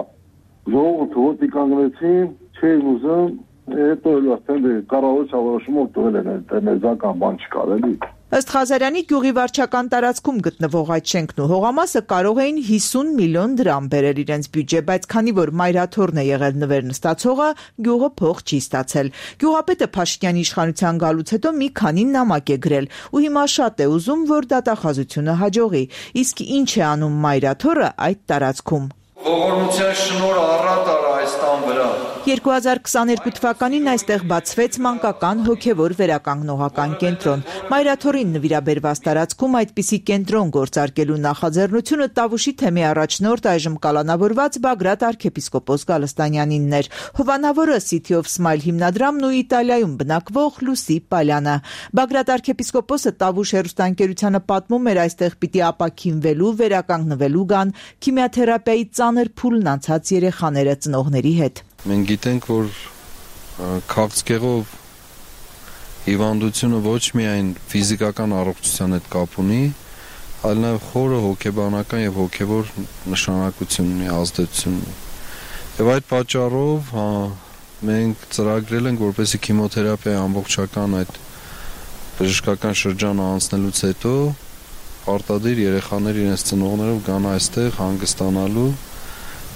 Ժողովուրդը ոտի կանգնեցին, չէին ուզում, հետո արդեն կառավարության որոշումով տվել են ներզական բան չկար էլի։ Ըստ Ղազարյանի գյուղի վարչական տարածքում գտնվող այդ շենքն ու հողամասը կարող էին 50 միլիոն դրամ բերել իրենց բյուջե, բայց քանի որ մայրաթորն է եղել նվերն ստացողը, գյուղը փող չի ստացել։ Գյուղապետը Փաշինյանի իշխանության գալուց հետո մի քանի նամակ է գրել ու հիմա շատ է ուզում, որ դատախազությունը հաջողի։ Իսկ ինչ է անում մայրաթորը այդ տարածքում։ ողորմության շնորհը առատ արա այս տան վրա։ 2022 թվականին այստեղ բացվեց մանկական հոգևոր վերականգնողական կենտրոն։ Մայրաթորին նվիրաբերված տարածքում այդպիսի կենտրոն գործարկելու նախաձեռնությունը Տավուշի թեմի առաջնորդ այժմ կալանավորված Բագրատ arczepiskopos Գալստանյանինն էր։ Հովանավորը City of Smile հիմնադրամն ու Իտալիայում բնակվող Լուսի Պալյանը։ Բագրատ arczepiskoposը Տավուշ հեռուստաընկերությանը պատմում էր այստեղ պիտի ապաքինվելու, վերականգնվելու գան քիմիաթերապիայի ծանր փուլն անցած երեխաները ծնողների հետ։ Մենք գիտենք, որ քաղցկեղով հիվանդությունը ոչ միայն ֆիզիկական առողջության հետ կապ ունի, այլ նաև խորը հոգեբանական եւ հոգեվոր նշանակություն ունի, ազդեցություն ունի։ Եվ այդ պատճառով մենք ծրագրել ենք, որպեսզի քիմիոթերապիայի ամբողջական այդ բժշկական շրջանը անցնելուց հետո պարտադիր երեխաներ իրենց ծնողներով գան այստեղ հանգստանալու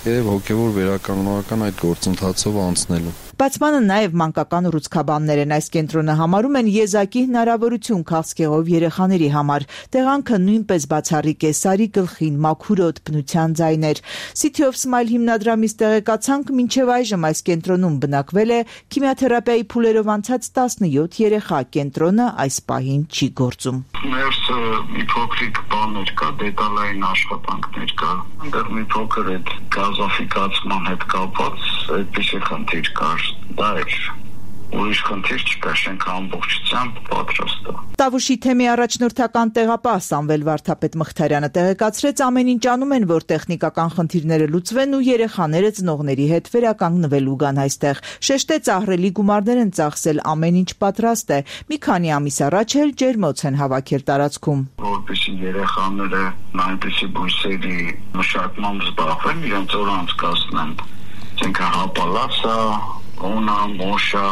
եւ հոգեվոր վերականգնողական այդ գործընթացով անցնելու։ Բացմանը նաև մանկական ռուցքաբաններ են այս կենտրոնը համարում են եզակի հնարավորություն քաղցկեղով երեխաների համար։ Տեղանքը նույնպես բացառիկ է, սարի գլխին, մաքուրոտ, բնության ձայներ։ City of Smile հիմնադրամից տեղեկացանք, մինչև այժմ այս կենտրոնում բնակվել է քիմիաթերապիայի փուլերով անցած 17 երեխա։ Կենտրոնը այս պահին չի գործում։ Ներս մի փոքրիկ բաներ կա, դետալային աշխատանքներ կա։ Այնտեղ մի փոքր այդ գազաֆիկացման հետ կապված այդպիսի խնդիր կար։ Դա էր ուրիշ խնդիր չկա, շենքը ամբողջությամբ պատրաստ է։ Տավուշի թեմի առաջնորդական տեղապահ Սամվել Վարդապետ Մխիթարյանը տեղեկացրեց, ամեն ինչ անում են, որ տեխնիկական խնդիրները լուծվեն ու երեխաները ծնողների հետ վերականգնվելու գան այստեղ։ Շեշտեց, ահռելի գումարներ են ծախսել, ամեն ինչ պատրաստ է։ Մի քանի ամիս առաջ էլ ջերմոց են հավաքել տարածքում։ Որպեսզի երեխաները այնպիսի բույսերի մշակմամբ զբաղվեն, իրենց օր անցկացնեն։ Այսինքն հապալասա, օնա, մոշա,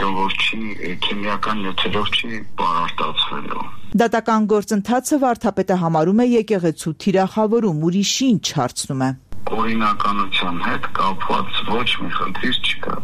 որ չի քիմիական նյութերով չի բարարտացվելու։ Դատական գործընթացը Վարդապետը համարում է եկեղեցու թիրախավորում, ուրիշ ինչ հարցնում է։ Օրինականության հետ կապված ոչ մի խնդիր չկա։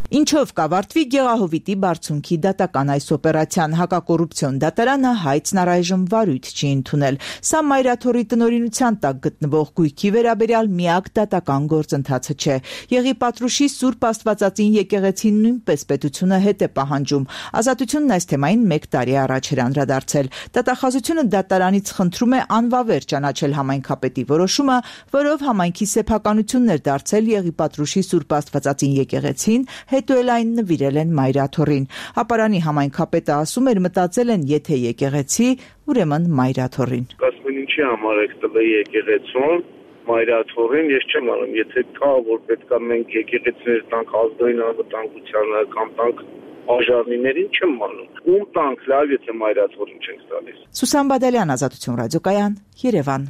Ինչով կավարտվի Գեղահովիտի բարձունքի դատական այս օպերացիան, հակակոռուպցիոն դատարանը հայցն առայժմ վարույթ չի ընդունել։ Սա Մայրաթորի տնօրինության տակ գտնվող գույքի վերաբերյալ միակ դատական գործընթացը չէ։ Եղիպատրուշի Սուրբ Աստվածածին եկեղեցին նույնպես պետությունը հետ է պահանջում։ Ազատությունն այս թեմային 1 տարի առաջ էր անդրադարձել։ Դատախազությունը դատարանից խնդրում է անվավեր ճանաչել համայնքապետի որոշումը, որով համայնքի սեփականությունն էր դարձել Եղիպատրուշի Սուրբ Աստվածածին եկեղեցին, հետո էլ այն նվիրել են Մայրաթորին։ Հապարանի համայնքապետը ասում էր, մտածել են, եթե եկեղեցի, ուրեմն Մայրաթորին։ Ասում են ինչի համար եք տվել եկեղեցուն, Մայրաթորին, ես չեմ անում, եթե կա, որ պետքա մենք եկեղեցիներ տանք ազգային անվտանգությանը կամ տանք արժանիներին, չեմ անում։ Ում տանք, լավ, եթե Մայրաթորին չենք տալիս։ Սուսան Բադալյան, Ազատություն ռադիոկայան, Երևան։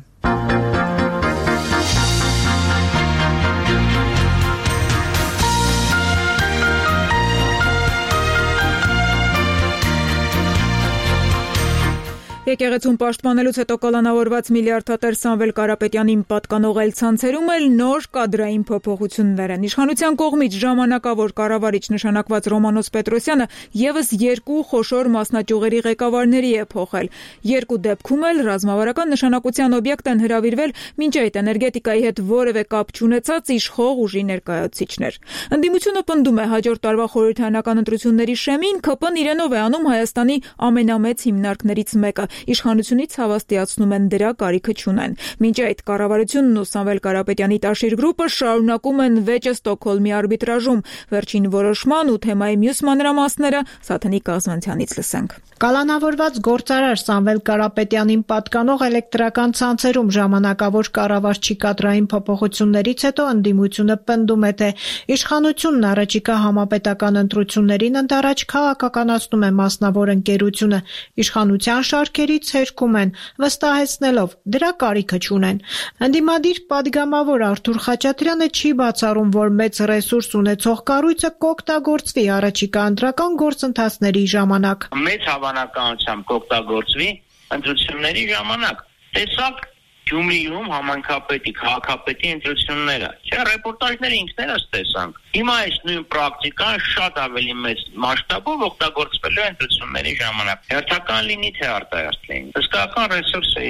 Եկեղեցուն պաշտպանելուց հետո կալանավորված միլիարդատեր Սամվել Կարապետյանին պատկանող այլ ցանցերում էլ նոր կադրային փոփոխություններ են։ Իշխանության կողմից ժամանակավոր կառավարիչ նշանակված Ռոմանոս Պետրոսյանը եւս 2 խոշոր մասնաճյուղերի ղեկավարների է փոխել։ 2 դեպքում էլ ռազմավարական նշանակության օբյեկտ են հրավիրվել մինչ այդ էներգետիկայի հետ որևէ կապ չունեցած իշխող ուժի ներկայացուցիչներ։ Ընդդիմությունը պնդում է հաջորդ տարվա խորհրդարանական ընտրությունների շեմին ԿՊ-ն իրենով է անում Հայաստանի ամենամեծ հիմնարկներից մեկը։ Իշխանությունից հավաստիացնում են դրա կարիքը չունեն։ Մինչ այդ կառավարությունն ու Սամվել Կարապետյանի Տաշիր գրուպը շարունակում են վեճը Ստոկհոլմի արբիտրաժում։ Վերջին որոշման ու թեմայի մյուս մանրամասները Սաթենիկ Կազմանցյանից լսենք։ Կալանավորված գործարար Սամվել Կարապետյանին պատկանող էլեկտրական ցանցերում ժամանակավոր կառավարչի կադրային փոփոխություններից հետո ընդդիմությունը պնդում է, թե իշխանությունն առաջիկա համապետական ընտրություններին ընդառաջ քաղաքականացնում է մասնավոր ընկերությունը, իշխանության շարքերից հերքում են, վստահեցնելով դրա կարիքը չունեն։ Ընդդիմադիր падգամավոր Արթուր Խաչատրյանը չի բացառում, որ մեծ ռեսուրս ունեցող կառույցը կօգտագործվի առաջիկա ընտրական գործընթացների ժամանակ։ Մեծ հավանականությամբ կօգտագործվի ընտրությունների ժամանակ։ Տեսակ Գյումրիում համայնքապետի, քաղաքապետի ընտրությունները։ Չէ, ռեպորտաժները ինքներս տեսանք։ Հիմա այս նույն պրակտիկան շատ ավելի մեծ մասշտաբով օգտագործվելու է ընտրությունների ժամանակ։ Հերթական լինի թե արտահերթ լինի։ Հսկական ռեսուրս է,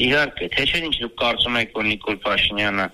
իհարկե, թե չէ ինչ դուք կարծում եք, որ Նիկոլ Փաշինյանը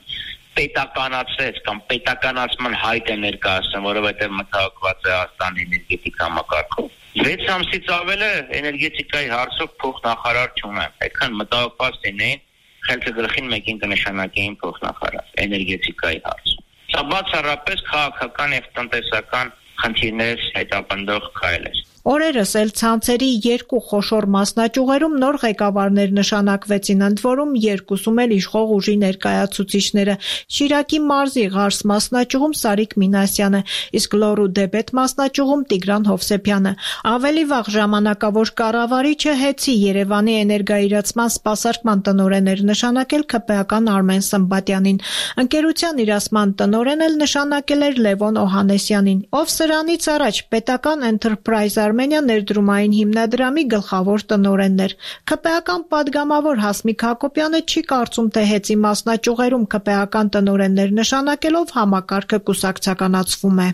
պետականացրեց կամ պետականացման հայտ է ներկայացնում, որովհետև մտահոգված է Հայաստանի էներգետիկ համակարգով։ 6 ամսից ավել է էներգետիկայի հարցով փոխնախարար չունեմ։ Այդքան մտահոգված լինեին, խելքը գլխին մեկին կնշանակեին փոխնախարար էներգետիկայի հարցում։ Սա բացառապես քաղաքական եւ տնտեսական խնդիրներ հետապնդող քայլ է։ Օրերս էլ ցանցերի 2 խոշոր մասնաճյուղերում նոր ղեկավարներ նշանակվեցին, ընդ որում 2-ում էլ իշխող ուժի ներկայացուցիչները։ Շիրակի մարզի Ղարս մասնաճյուղում Սարիկ Մինասյանը, իսկ Լոռու Դեբետ մասնաճյուղում Տիգրան Հովսեփյանը։ Ավելի վաղ ժամանակավոր կառավարիչը Հեցի Երևանի էներգաիրացման սպասարկման տնօրեն էր նշանակել ՔՊԱ-ական Արմեն Սմբատյանին։ Ընկերության իրացման տնօրեն էլ նշանակել էր Լևոն Օհանեսյանին, ով սրանից առաջ պետական Enterprise Armenia ներդրումային հիմնադրամի գլխավոր տնօրենն էր։ ՔՊԱ-ական падգամավոր Հասմիկ Հակոբյանը չի կարծում, թե Հեցի մասնաճյուղերում ՔՊԱ-ական տնօրեններ նշանակելով համակարգը կուսակցականացվում է։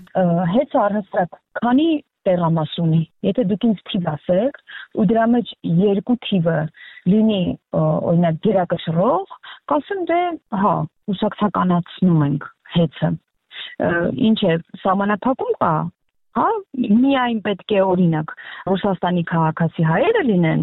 Հեծը առհասարակ քանի տեղամաս ունի։ Եթե դուք ինձ թիվ ասեք, ու դրա մեջ 2 թիվը լինի օրինակ գերակշռող, կասեմ դե, հա, կուսակցականացնում ենք Հեցը։ Ինչ է, սահմանափակում կա։ Հա, միայն պետք է օրինակ Ռուսաստանի քաղաքացի հայերը լինեն,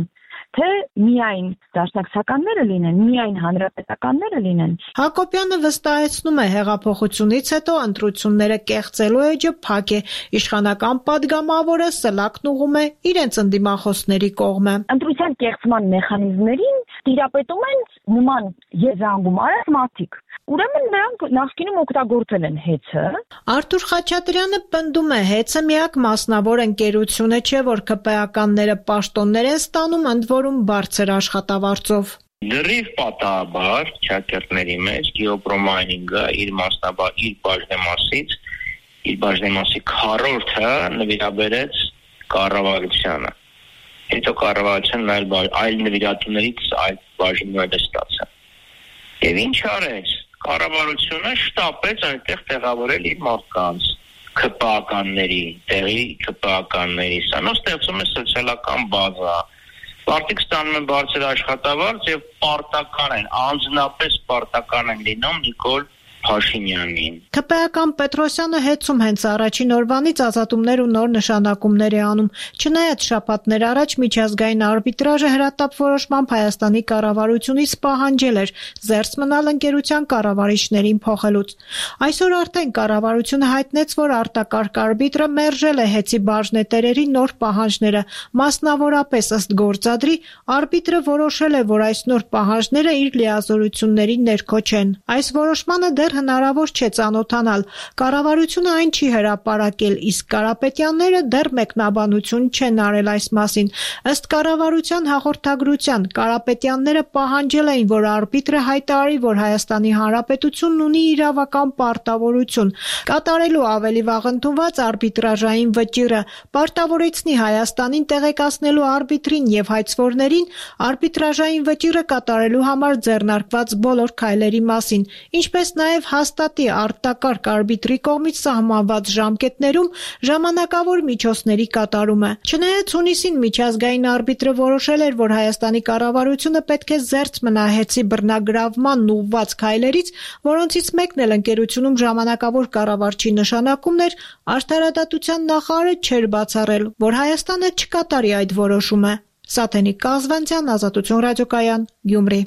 թե միայն դաշնակցականները լինեն, միայն հանրապետականները լինեն։ Հակոբյանը վստահեցնում է, հեղափոխությունից հետո ընտրությունները կեղծելու էջը փակ է, իշխանական падգամավորը սլակն ուղում է իրենց ընդդիմախոսների կողմը։ Ընտրության կեղծման մեխանիզմներին տիրապետում են նման եզրանգում արած մարդիկ։ Ուրեմն նրանք նախկինում օգտագործել են Հեցը։ Արթուր Խաչատրյանը պնդում է, Հեցը միակ մասնավոր ընկերությունը չէ, որ ԿՊԱ-ականները պաշտոններ են ստանում, ընդ որում բարձր աշխատավարձով։ Դրիվ պատահաբար շակերտների մեջ Գեոպրոմայնինգը իր բաժնեմասի քառորդը նվիրաբերեց կառավարությանը։ Հետո կառավարությունն այլ նվիրատուներից այլ բաժիններ ստացավ։ Եվ ինչ արեց։ Կառավարությունը շտապեց այնտեղ տեղավորել իր մարդկանց, ՔՊԱ-ականների, տեղի ՔՊԱ-ականների, սա ստեղծում է սոցիալական բազա։ Մարդիկ ստանում են բարձր աշխատավարձ եւ պարտական են, անձնապես պարտական են լինում Նիկոլ Փաշինյանին։ ՔՊԱ-ական Պետրոսյանը Հեցում հենց առաջին օրվանից ազատումներ ու նոր նշանակումներ է անում։ Չնայած շաբաթներ առաջ միջազգային արբիտրաժը հրատապ որոշմամբ Հայաստանի կառավարությունից պահանջել էր զերծ մնալ ընկերության կառավարիչներին փոխելուց։ Այսօր արդեն կառավարությունը հայտնեց, որ արտակարգ արբիտրը մերժել է Հեցի բաժնետերերի նոր պահանջները։ Մասնավորապես ըստ գործադրի, արբիտրը որոշել է, որ այս նոր պահանջները իր լիազորությունների ներքո չեն։ Այս որոշմանը դեռ հնարավոր չէ ծանոթանալ։ Կառավարությունը այն չի հրապարակել, իսկ Կարապետյանները դեռ մեկնաբանություն չեն արել այս մասին։ Ըստ կառավարության հաղորդագրության, Կարապետյանները պահանջել էին, որ արբիտրը հայտարարի, որ Հայաստանի Հանրապետությունն ունի իրավական պարտավորություն կատարելու ավելի վաղ ընդունված արբիտրաժային վճիռը, պարտավորեցնի Հայաստանին տեղեկացնելու արբիտրին եւ հայցվորներին արբիտրաժային վճիռը կատարելու համար ձեռնարկված բոլոր քայլերի մասին, ինչպես նաեւ հաստատի արտակարգ արբիտրի կողմից սահմանված ժամկետներում ժամանակավոր միջոցների կատարումը։ Չնայած հունիսին միջազգային արբիտրը որոշել էր, որ Հայաստանի կառավարությունը պետք է զերծ մնա Հեցի բռնագրավմանն ուղղված քայլերից, որոնցից մեկն էլ ընկերությունում ժամանակավոր կառավարչի նշանակումն էր, Արդարադատության նախարարը չէր բացառել, որ Հայաստանը չկատարի այդ որոշումը։ Սաթենիկ Կազվանցյան, Ազատություն ռադիոկայան, Գյումրի։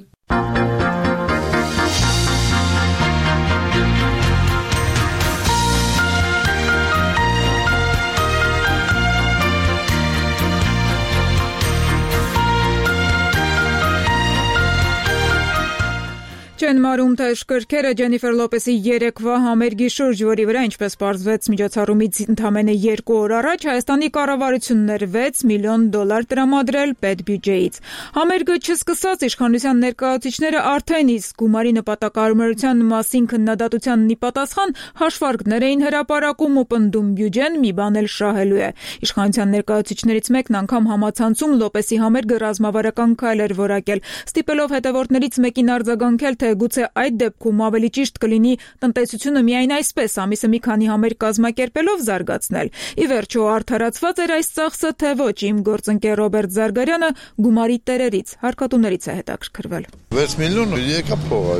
Չեն մարում թե շքրքերը Ջենիֆեր Լոպեսի երեկվա համերգի շուրջ, որի վրա, ինչպես պարզվեց միջոցառումից ընդամենը 2 օր առաջ, Հայաստանի կառավարությունն էր $6 միլիոն տրամադրել պետբյուջեից։ Համերգը չսկսած իշխանության ներկայացուցիչները արդեն իսկ գումարի նպատակահարմարության մասին քննադատության ի պատասխան հաշվարկներ էին հրապարակում ու պնդում բյուջեն մի բան էլ շահելու է։ Իշխանության ներկայացուցիչներից մեկն անգամ համացանցում Լոպեսի համերգը ռազմավարական քայլ էր որակել, ստիպելով հետևորդներից մեկին արձագանքել, թե գուցե այդ դեպքում ավելի ճիշտ կլինի տնտեսությունը միայն այսպես ամիսը մի քանի համերգ կազմակերպելով զարգացնել։ Ի վերջո արդարացված էր այս ծախսը, թե ոչ, իմ գործընկեր Ռոբերտ Զարգարյանը գումարի տերերից, հարկատուներից է հետաքրքրվել։ 6 միլիոն եկա փողա։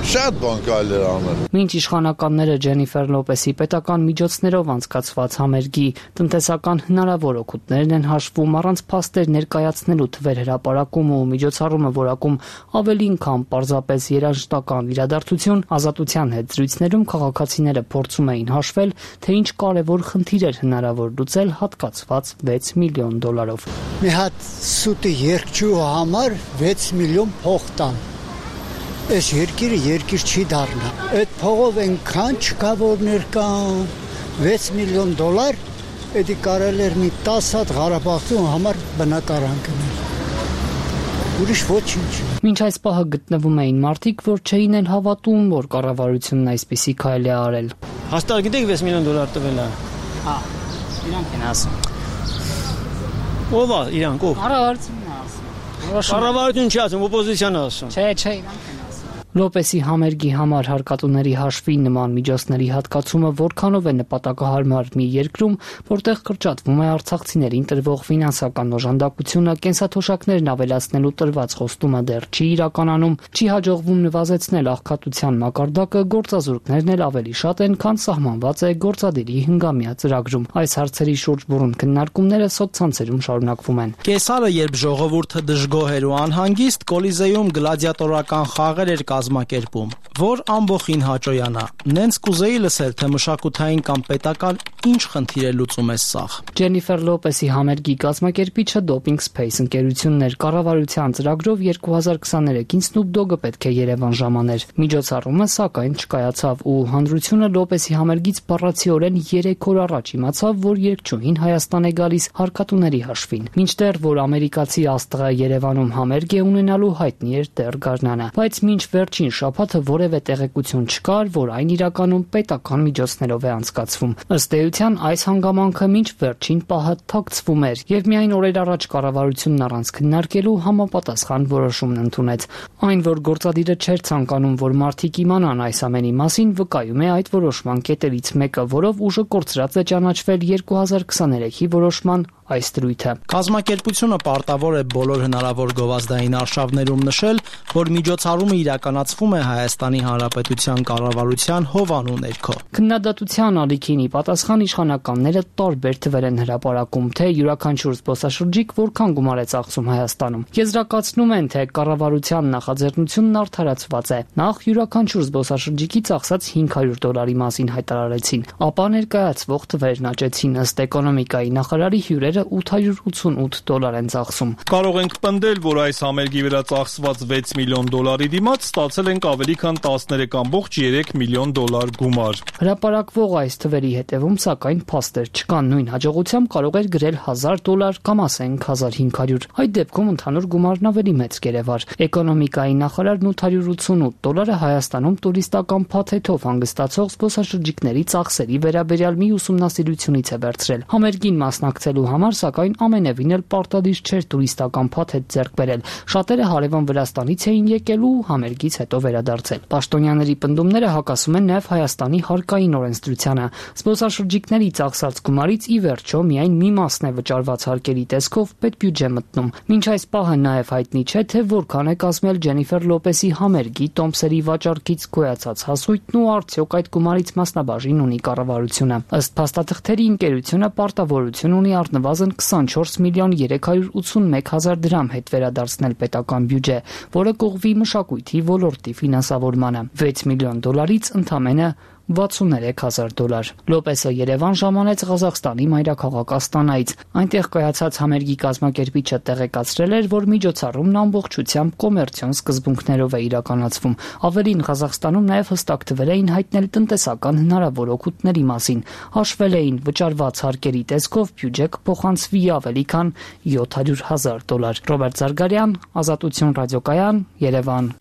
Շատ բան կարելի էր անել։ Մինչ իշխանականները Ջենիֆեր Լոպեսի պետական միջոցներով անցկացված համերգի տնտեսական հնարավոր օգուտներն են հաշվում, առանց փաստեր ներկայացնելու թվեր հրապարակում ու միջոցառումը որակում ավելին քան պարզապես երաժշտական իրադարձություն, Ազատության հետ զրույցներում քաղաքացիները փորձում էին հաշվել, թե ինչ կարևոր խնդիր էր հնարավոր լուծել հատկացված $6 միլիոն։ Մի հատ սուտի երկչու համար 6 միլիոն փող տան։ Այս երկիրը երկիր չի դառնա։ Այդ փողով այնքան չկա որ ներկան $6 միլիոն, էդի կարելի էր մի 10 հատ Ղարաբաղցու համար բնակարան գնել։ Ուրիշ ոչինչ։ Մինչ այս պահը գտնվում էին մարդիկ, որ չէին էլ հավատում, որ կառավարությունն այսպիսի քայլ է արել։ Հաստատ գիտեք $6 միլիոն տվել է։ Հա, իրանք են ասում։ Ով է իրանք ով։ Կառավարությունն է ասում։ Կառավարություն չի ասում, օպոզիցիան է ասում։ Չէ, իրանք են ասում։ Լոպեսի համերգի համար հարկատուների հաշվի նման միջոցների հատկացումը որքանով է նպատակահարմար մի երկրում, որտեղ կրճատվում է արցախցիներին տրվող ֆինանսական օժանդակությունը, կենսաթոշակներն ավելացնելու տրված խոստումը դեռ չի իրականանում, չի հաջողվում նվազեցնել աղքատության մակարդակը, գործազուրկներն էլ ավելի շատ են, քան սահմանված է գործադիրի հնգամյա ծրագրում։ Այս հարցերի շուրջ բուրըն քննարկումները սոցցանցերում շարունակվում են։ Կեսարը, երբ ժողովուրդը դժգոհ էր ու անհանգիստ, Կոլիզեում գլադիատորական խաղեր էր կազմակերպում, որ ամբողջին հաճոյանա։ Նենց կուզեի լսել, թե մշակութային կամ պետական ինչ խնդիր է լուծում այս սաղ։ Ջենիֆեր Լոպեսի համերգի կազմակերպիչը Doping Space ընկերությունն էր։ Կառավարության ծրագրով 2023-ին Snoop Dogg-ը պետք է Երևան ժամաներ։ Միջոցառումը սակայն չկայացավ ու հանրությունը Լոպեսի համերգից բառացիորեն 3 օր առաջ իմացավ, որ երգչուհին Հայաստան է գալիս հարկատուների հաշվին։ Մինչդեռ որ ամերիկացի աստղը Երևանում համերգ է ունենալու, հայտնի էր դեռ գարնանը, բայց մինչ վերջին շաբաթը որևէ տեղեկություն չկար, որ այն իրականում պետական միջոցներով է անցկացվում։ Ըստ էության այս հանգամանքը մինչ վերջին պահը թաքցվում էր եւ միայն օրեր առաջ կառավարությունն առանց քննարկելու համապատասխան որոշումն ընդունեց։ Այն, որ գործադիրը չէր ցանկանում, որ մարդիկ իմանան այս ամենի մասին, վկայում է այդ որոշման կետերից մեկը, որով ուժը կորցրած է ճանաչվել 2023-ի որոշման այս դրույթը։ Կազմակերպությունը պարտավոր է բոլոր հնարավոր գովազդային արշավներում նշել, որ միջոցառումը իրականացվում է Հայաստանի Հանրապետության կառավարության հովանու ներքո։ Քննադատության ալիքին ի պատասխան իշխանականները տարբեր թվեր են հրապարակում, թե յուրաքանչյուր զբոսաշրջիկ որքան գումար է ծախսում Հայաստանում։ Եզրակացնում են, թե կառավարության նախաձեռնությունն արդարացված է։ Նախ յուրաքանչյուր զբոսաշրջիկի ծախսած $500 մասին հայտարարեցին, ապա ներկայացվող թվերն աճեցին, ըստ էկոնոմիկայի նախարարի հյուրերը $888 են ծախսում։ Կարող ենք պնդել, որ այս համերգի վրա ծախսված $6 միլիոն դիմաց ստացել ենք ավելի քան $13.3 միլիոն գումար։ Հրապարակվող այս թվերի հետևում սակայն փաստեր չկան, նույն հաջողությամբ կարող էր գրել $1000 կամ ասենք 1500։ Այդ դեպքում ընդհանուր գումարն ավելի մեծ կերևար։ Էկոնոմիկայի նախարարն $888 Հայաստանում տուրիստական փաթեթով հանգստացող զբոսաշրջիկների ծախսերի վերաբերյալ մի ուսումնասիրությունից է վերցրել։ Համերգին մասնակցելու համար սակայն ամենևին էլ պարտադիր չէր տուրիստական փաթեթ ձեռք բերել։ Շատերը հարևան Վրաստանից էին եկել ու համերգից հետո վերադարձել։ Պաշտոնյաների պնդումները հակասում են նաև Հայաստանի հարկային օրենսդրությանը։ Զբոսաշրջիկների ծախսած գումարից ի վերջո միայն մի մասն է վճարված հարկերի տեսքով պետբյուջե մտնում։ Մինչ այս պահը նաև հայտնի չէ, թե որքան է կազմել Ջենիֆեր Լոպեսի համերգի տոմսերի վաճառքից գոյացած հասույթն ու արդյոք այդ գումարից մասնաբաժին ունի կառավարությունը։ Ըստ փաստաթղթերի ընկերությունը պարտավորություն ունի առնվազն 24.381 դրամ հետ վերադարձնել պետական բյուջե, որը կողվի մշակույթի ոլորտի ֆինանսավորմանը։ $6 միլիոնից ընդամենը $63,000։ Լոպեսը Երևան ժամանեց Ղազախստանի մայրաքաղաք Աստանայից։ Այնտեղ կայացած համերգի կազմակերպիչը տեղեկացրել էր, որ միջոցառումն ամբողջությամբ կոմերցիոն սկզբունքներով է իրականացվում։ Ավելին, Ղազախստանում նաև հստակ թվեր էին հայտնել տնտեսական հնարավոր օգուտների մասին։ Հաշվել էին վճարված հարկերի տեսքով բյուջե կփոխանցվի ավելի քան $700,000։ Ռոբերտ Զարգարյան, Ազատություն ռադիոկայան, Երևան։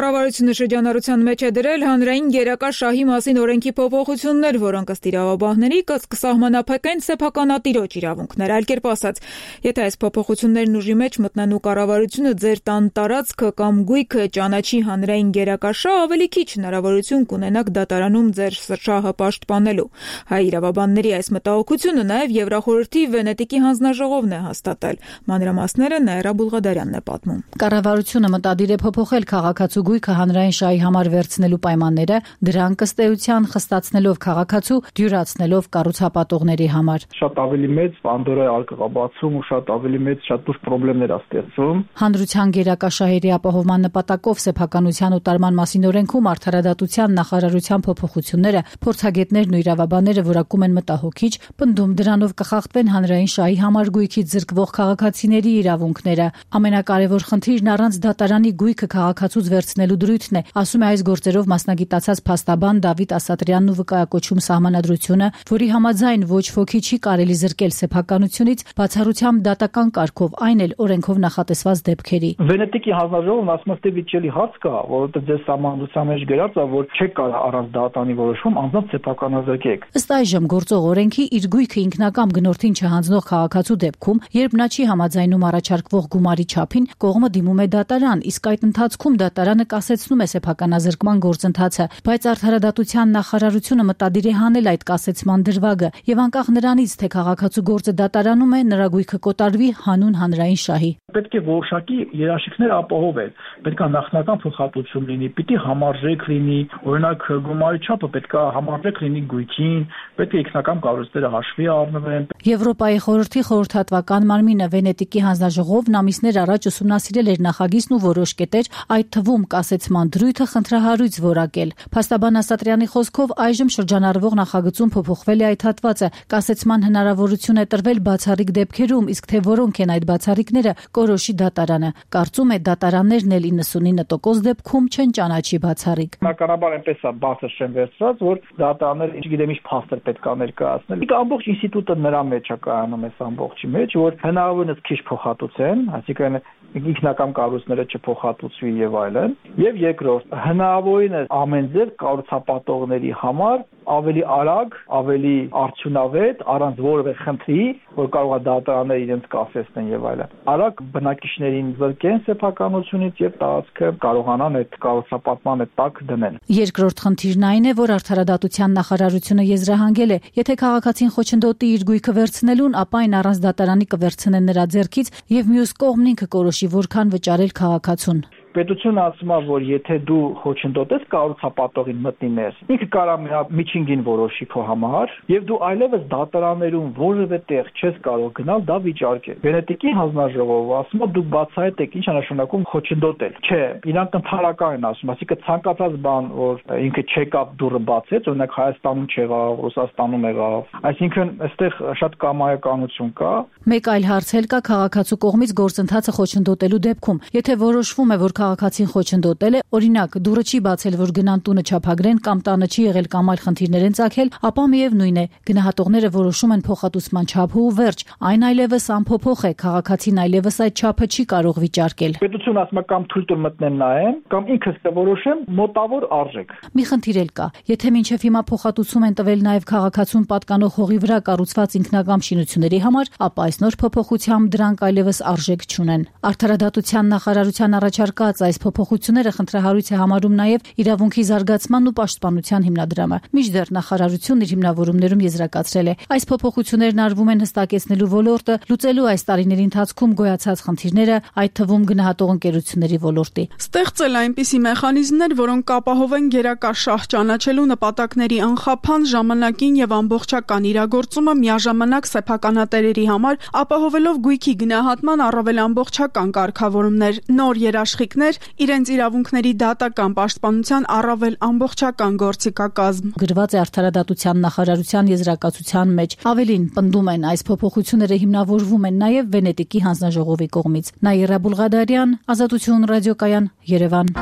Կառավարությունը շրջանառության մեջ է դրել հանրային գերակա շահի մասին օրենքի փոփոխություններ, որոնք ըստ իրավաբանների կսահմանափակեն սեփականատիրոջ իրավունքներ։ Այլ կերպ ասած, եթե այս փոփոխություններն ուժի մեջ մտնեն ու կառավարությունը ձեր տան տարածքը կամ գույքը ճանաչի հանրային գերակա շահ, ավելի քիչ հնարավորություն կունենաք դատարանում ձեր շահը պաշտպանելու։ Հայ իրավաբանների այս մտահոգությունը նաև Եվրախորհրդի Վենետիկի հանձնաժողովն է հաստատել։ Մանրամասները Նաիրա Բուլղադարյանն է պատմում։ Կառավարությունը մտադիր է փոփոխել քաղաքացու գույքը հանրային շահի համար վերցնելու պայմանները, դրանք ըստ էության խստացնելով քաղաքացու, դյուրացնելով կառուցապատողների համար։ Շատ ավելի մեծ Պանդորայի արկղաբացում ու շատ ավելի մեծ շատ լուրջ խնդիրներ է ստեղծում։ Հանրության գերակա շահերի ապահովման նպատակով սեփականության օտարման մասին օրենքում արդարադատության նախարարության փոփոխությունները փորձագետներն ու իրավաբանները որակում են մտահոգիչ, պնդում դրանով կխախտվեն հանրային շահի համար գույքից զրկվող քաղաքացիների իրավունքները։ Ամենակարևոր խնդիրն առանց դատարանի գույքը քաղաքացուց վերցնելու դրույթն է, ասում է այս գործերով մասնագիտացած փաստաբան Դավիթ Ասատրյանն ու վկայակոչում սահմանադրությունը, որի համաձայն ոչ ոքի չի կարելի զրկել սեփականությունից բացառությամբ դատական կարգով, այն էլ օրենքով նախատեսված դեպքերի։ Վենետիկի հանձնաժողովն ասում է, վիճելի հարց կա, որովհետև ձեր սահմանադրության մեջ գրած է, որ չեք կարող առանց դատարանի որոշում անձամբ սեփականազրկեք։ Ըստ այժմ գործող օրենքի իր գույքը ինքնակամ գնորդին չհանձնող քաղաքացու դեպքում, երբ նա չի համաձայնում առաջարկվող գումարի չափին, կողմը դիմում է դատարան, իսկ այդ ընթացքում դատարանը կասեցնում է սեփականազրկման գործընթացը, բայց արդարադատության նախարարությունը մտադիր է հանել այդ կասեցման դրվագը եւ անկախ նրանից, թե քաղաքացու գործը դատարանում է, նրա գույքը կոտարվի հանուն հանրային շահի։ Պետք է որոշակի երաշխիքներ ապահովել, պետք է նախնական փոխհատուցում լինի, պիտի համարժեք լինի, օրինակ գումարի չափը պետք է համարժեք լինի գույքին, պետք է ինքնական կառույցները հաշվի առնվեն։ Եվրոպայի խորհրդի խորհրդատվական մարմինը Վենետիկի հանձնաժողովն ամիսներ առաջ ուսումնասիրել էր նախագիծն ու որոշ կետեր, այդ թվում կասեցման դրույթը խնդրահարույց որակել։ Փաստաբան Ասատրյանի խոսքով այժմ շրջանառվող նախագծում փոփոխվել է այդ հատվածը, կասեցման հնարավորություն է տրվել բացառիկ դեպքերում, իսկ թե որոնք են այդ բացառիկները, կորոշի դատարանը։ Կարծում է դատարաններն էլ 99% դեպքում չեն ճանաչի բացառիկ։ Բնականաբար այնպես է բացը շեն վերցրած, որ դատարանները չգիտեմ ինչ փաստեր պետք է ներկայացնել։ Իսկ ամբողջ ինստիտուտը նրա մեջ է կայանում այս ամբողջի մեջ, որ հնարավորինս քիչ փոխհատուցեն, այսինքն ինքնական կառույցները չփոխհատուցվի եւ այլն։ Եվ երկրորդ, հնարավորինս ամեն ձև կառուցապատողների համար ավելի արագ, ավելի արդյունավետ, առանց որևէ խնդրի, որ կարող է դատարանները իրենց կասեցնեն եւ այլն։ Արագ բնակիչներին զրկեն սեփականությունից եւ տարածքը կարողանան այդ կառուցապատման տակ դնեն։ Երկրորդ խնդիրն այն է, որ արդարադատության նախարարությունը եզրահանգել է, եթե քաղաքացին խոչընդոտի իր գույքը վերցնելուն, ապա այն առանց դատարանի կվերցնեն նրա ձեռքից եւ մյուս կողմն ինքը կորոշի որքան վճարել քաղաքացուն։ Պետությունը ասում է, որ եթե դու խոչընդոտես կառուցապատողին մտնի ներս, ինքը կարող է միջինգին որոշի քո համար, եւ դու այլևս դատարաններում որևէ տեղ չես կարող գնալ դա վիճարկել։ Վենետիկի հանձնաժողովը ասում է դուք բացահայտ եք ինչ է նշանակում խոչընդոտել։ Չէ, իրանք ընդհանրական են ասում, այսինքն ցանկացած բան, որ ինքը չեկավ դուռը բացեց, օրինակ Հայաստանում չեղավ, Ռուսաստանում եղավ, այսինքն այստեղ շատ կամայականություն կա։ Մեկ այլ հարց էլ կա քաղաքացու կողմից գործընթացը խոչընդոտելու դեպքում։ Եթե որոշվում է, որ քաղաքացին խոչընդոտել է, օրինակ դուռը չի բացել, որ գնան տունը չափագրեն կամ տանը չի եղել կամ այլ խնդիրներ են ծագել, ապա միևնույն է, գնահատողները որոշում են փոխհատուցման չափը ու վերջ։ Այն այլևս անփոփոխ է, քաղաքացին այլևս այդ չափը չի կարող վիճարկել։ Պետությունը ասում է կամ թույլ տուր մտնեմ նայեմ, կամ ինքս կորոշեմ մոտավոր արժեք։ Մի խնդիր էլ կա։ Եթե մինչև հիմա փոխհատուցում են տվել նաև քաղաքացուն պատկանող հողի վրա կառուցված ինքնակամ շինությունների համար, ապա այս նոր փոփոխությամբ դրանք այլևս արժեք չունեն։ Արդարադատության նախարարության առաջարկած այս փոփոխությունները խնդրահարույց է համարում նաև իրավունքի զարգացման ու պաշտպանության հիմնադրամը։ Մինչդեռ նախարարությունն իր հիմնավորումներում եզրակացրել է, այս փոփոխություններն արվում են հստակեցնելու ոլորտը, լուծելու այս տարիների ընթացքում գոյացած խնդիրները, այդ թվում գնահատող ընկերությունների ոլորտի։ Ստեղծել այնպիսի մեխանիզմներ, որոնք կապահովեն գերակա շահ ճանաչելու նպատակների անխափան, ժամանակին եւ ամբողջական իրագործումը միաժամանակ սեփականատերերի համար, ապահովելով գույքի գնահատման առավել ամբողջական կարգավորումներ, նոր երաշխիքներ, իրենց իրավունքների դատական պաշտպանության առավել ամբողջական գործիքակազմ։ Գրված է արդարադատության նախարարության եզրակացության մեջ։ Ավելին, պնդում են, այս փոփոխությունները հիմնավորվում են նաև Վենետիկի հանձնաժողովի կողմից։ Նաիրա Բուլղադարյան, Ազատություն ռադիոկայան, Երևան։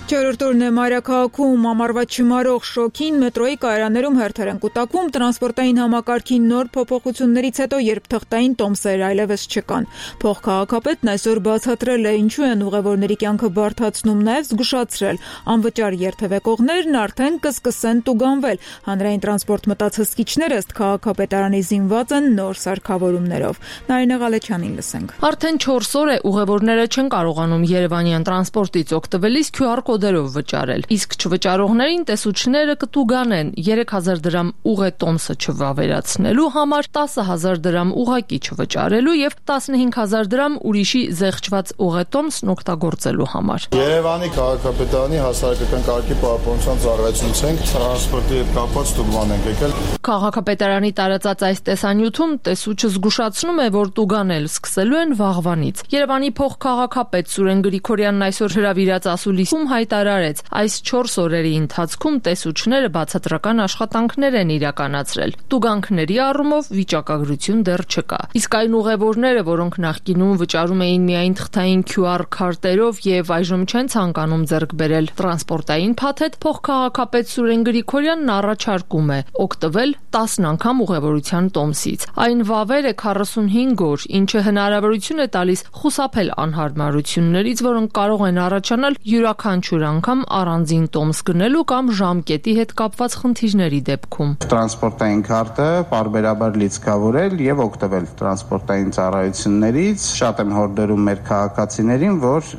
Չորրորդ օրն է մայրաքաղաքում ամառվա չմարող շոքին մետրոյի կայարաններում հերթեր են կուտակվում տրանսպորտային համակարգի նոր փոփոխություններից հետո, երբ թղթային տոմսեր այլևս չկան։ Փոխքաղաքապետն այսօր բացատրել է ինչու են ուղևորների կյանքը բարդացնում, նաև զգուշացրել անվճար երթևեկողներն արդեն կսկսեն տուգանվել։ Հանրային տրանսպորտ մտած հսկիչները ըստ քաղաքապետարանի զինված են նոր սարքավորումներով։ Նարինե Ղալեչյանին լսենք։ Արդեն 4 օր է ուղևորները չեն կարողանում Երևանյան տրանսպորտից օգտվելիս QR կոդերով վճարել, իսկ չվճարողներին տեսուչները կտուգանեն 3000 դրամ ուղե տոմսը չվավերացնելու համար, 10000 դրամ ուղակի չվճարելու եւ 15000 դրամ ուրիշի զեղչված ուղե տոմսն օգտագործելու համար։ Երևանի քաղաքապետարանի հասարակական կարգի պահպանության ծառայությունից ենք տրանսպորտի հետ կապված տուգման ենք եկել։ Քաղաքապետարանի տարածած այս տեսանյութում տեսուչը զգուշացնում է, որ տուգանել սկսելու են վաղվանից։ Երևանի փոխքաղաքապետ Սուրեն Գրիգորյանն այսօր հրավիրած ասուլիսում հայտարարեց, այս 4 օրերի ընթացքում տեսուչները բացատրական աշխատանքներ են իրականացրել։ Տուգանքների առումով վիճակագրություն դեռ չկա։ Իսկ այն ուղևորները, որոնք նախկինում վճարում էին միայն թղթային QR քարտերով եւ այժմ չեն ցանկանում ձեռք բերել տրանսպորտային փաթեթ, փոխքաղաքապետ Սուրեն Գրիգորյանն առաջարկում է օգտվել 10 անգամ ուղևորության տոմսից։ Այն վավեր է 45 օր, ինչը հնարավորություն է տալիս խուսափել անհարմարություններից, որոնք կարող են առաջանալ յուրաքանչյուր անգամ առանձին տոմս գնելու կամ ժամկետի հետ կապված խնդիրների դեպքում։ Տրանսպորտային քարտը պարբերաբար լիցքավորել եւ օգտվել տրանսպորտային ծառայություններից։ Շատ եմ հորդորում մեր քաղաքացիներին, որ